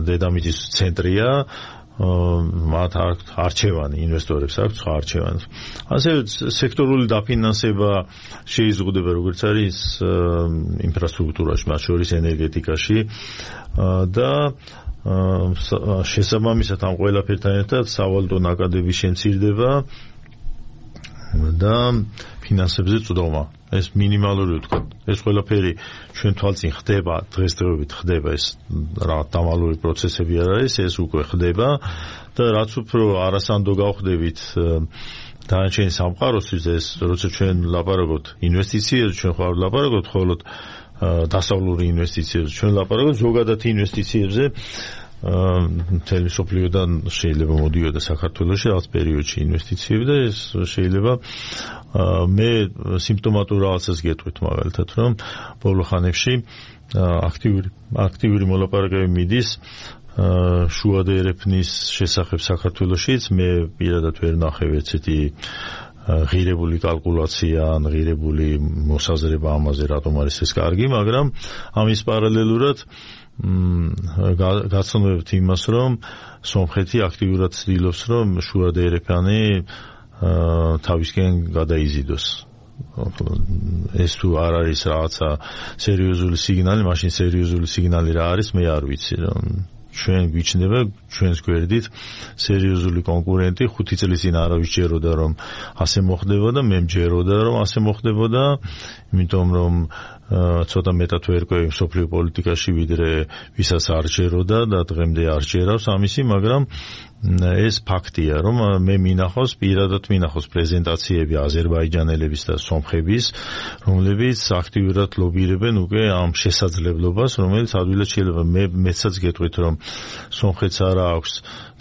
დედამიწის ცენტრია, მათ არჩევანი, ინვესტორებს აქვს სხვა არჩევანი. ასევე სექტორული დაფინანსება შეიზღუდება, როგორც არის ინფრასტრუქტურაში, მათ შორის ენერგეტიკაში და შესაბამისად ამ ყველაფერთან ერთად სავალუტო ნაკადების შემცირდება და ფინანსებზე წვდომა. ეს მინიმალური ვთქვათ. ეს ყველაფერი ჩვენ თვალწინ ხდება, დღესდღეობით ხდება, ეს რა დამალული პროცესები არ არის, ეს უკვე ხდება და რაც უფრო არასანდო გავხდებით დანარჩენი სამყაროსთვის, ეს როცა ჩვენ ლაპარაკობთ ინვესტიციებზე, ჩვენ ხარ ლაპარაკობთ მხოლოდ დასავლური ინვესტიციებზე, ჩვენ ლაპარაკობთ ზოგადად ინვესტიციებზე. მთელი სოფლიოდან შეიძლება მოდიოდა საქართველოში რაღაც პერიოდში ინვესტიციები და ეს შეიძლება მე სიმპტომატურ რაღაცას გეტყვით მაგალითად რომ ბოლო ხანებში აქტიური მოლაპარაკებები მიდის შუა და ერეფნის შესახებ საქართველოშიც. მე პირადად ვერ ნახევ ესეთი ღირებული კალკულაცია ან ღირებული მოსაზრება ამაზე რატომ არის ეს კარგი, მაგრამ ამის პარალელურად გაცნობთ იმას, რომ სომხეთი აქტიურად ცდილობს, რომ შუა და ერეფანი თავისკენ გადაიზიდოს. ეს თუ არ არის რაღაცა სერიოზული სიგნალი, მაშინ სერიოზული სიგნალი რა არის, მე არ ვიცი. ჩვენ გვიჩნდება ჩვენს გვერდით სერიოზული კონკურენტი. 5 წლის წინ არავის ჯეროდა რომ ასე მოხდებოდა, მე მჯეროდა რომ ასე მოხდებოდა, იმიტომ რომ ცოტა მეტად ვერკვევი მსოფლიო პოლიტიკაში ვიდრე ვისაც არ ჯეროდა და დღემდე არ ჯერავს ამისი, მაგრამ ეს ფაქტია, რომ მე მინახავს, პირადად მინახავს პრეზენტაციები აზერბაიჯანელების და სომხების, რომლებიც აქტიურად ლობირებენ უკვე ამ შესაძლებლობას, რომელიც ადვილად შეიძლება. მეცაც გეტყვით, რომ სომხეთს არა აქვს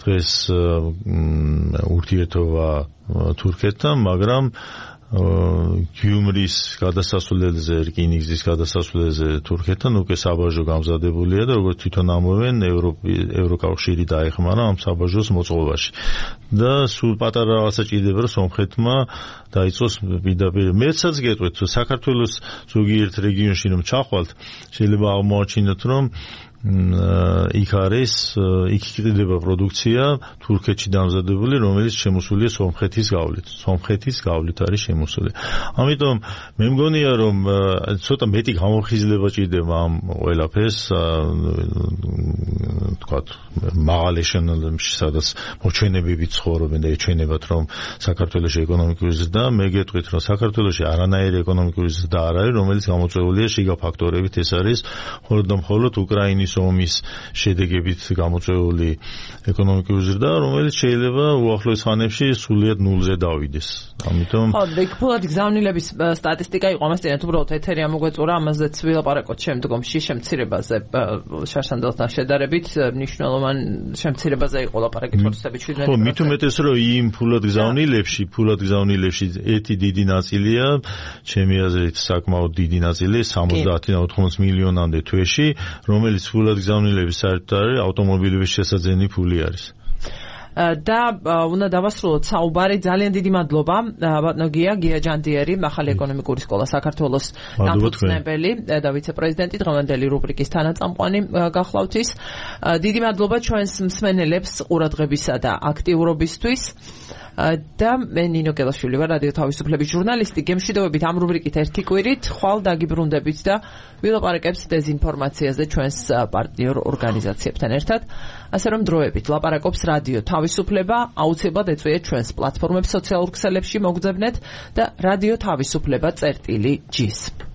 დღეს ურთიერთობა თურქეთთან, მაგრამ გიუმრის გადასასვლელზე, რკინიგზის გადასასვლელზე თურქეთთან უკვე საბაჟო გამზადებულია და როგორც თვითონ ამბობენ, ევროკავშირი დაეხმარა ამ საბაჟოს მოწყობაში. და სულ პატარა რაღაცა ჭირდება, რომ სომხეთმა დაიწყოს პირდაპირ. მეცაც გეტყვით, საქართველოს ზოგიერთ რეგიონში რომ ჩახვალთ, შეიძლება აღმოაჩინოთ, რომ იქ არის იქ იყიდება პროდუქცია თურქეთში დამზადებული, რომელიც შემოსულია სომხეთის გავლით არის შემოსული. ამიტომ მე მგონია რომ ცოტა მეტი გამოფხიზლება ჭირდება ამ ყველაფერს თქვათ მაღალ ეშელონებში, სადაც მოჩვენებები ცხოვრობენ და ეჩვენებათ რომ საქართველოში ეკონომიკური ზრდა, მე გეტყვით რომ საქართველოში არანაირი ეკონომიკური ზრდა არ არის, რომელიც გამოწვეულია შიგა ფაქტორებით, ეს არის მხოლოდ და მხოლოდ უკრაინის ომის შედეგებით გამოწვეული ეკონომიკური ზრდა, რომელიც შეიძლება უახლოეს ხანებში სულიად ნულზე დავიდეს. ამიტომ ფულად გზავნილების სტატისტიკა იყო ამას წინათ უბრალოდ ეთერი ამოგვეწურა, ამაზეც ვილაპარაკოთ შემდგომში შემცირებაზე შარშანდელთან შედარებით მნიშვნელოვან შემცირებაზე იყო ლაპარაკი თორსებით 17%. ხო, მით უმეტეს რომ იმ ფულად გზავნილებში ერთი დიდი ნაწილია, ჩემი აზრით საკმაოდ დიდი ნაწილი 70-80 მილიონამდე თვეში, რომელიც ფულად გზავნილების საერთოდ არის ავტომობილების შესაძენი ფული არის. და უნდა დავასრულოთ საუბარი. ძალიან დიდი მადლობა ბატონო გია ჯანდიერი, ახალი ეკონომიკური სკოლა საქართველოს დამფუძნებელი და ვიცე-პრეზიდენტი, დღევანდელი რუბრიკის თანაწამყვანი გახლავთ ის. დიდი მადლობა ჩვენს მსმენელებს ყურადღებისა და აქტიურობისთვის. და მე ნინო გელაშვილი ვარ, რადიო თავისუფლების ჟურნალისტი. გემშვიდობებით ამ რუბრიკით ერთი კვირით, ხვალ დაგიბრუნდებით და ვილაპარაკებთ დეზინფორმაციაზე ჩვენს პარტნიორ ორგანიზაციებთან ერთად. ასე რომ დროებით ლაპარაკობს რადიო თავისუფლება, აუცილებლად ეწვიეთ ჩვენს პლატფორმებს სოციალურ ქსელებში, მოგძებნეთ და რადიო თავისუფლება წერტილი G-ს.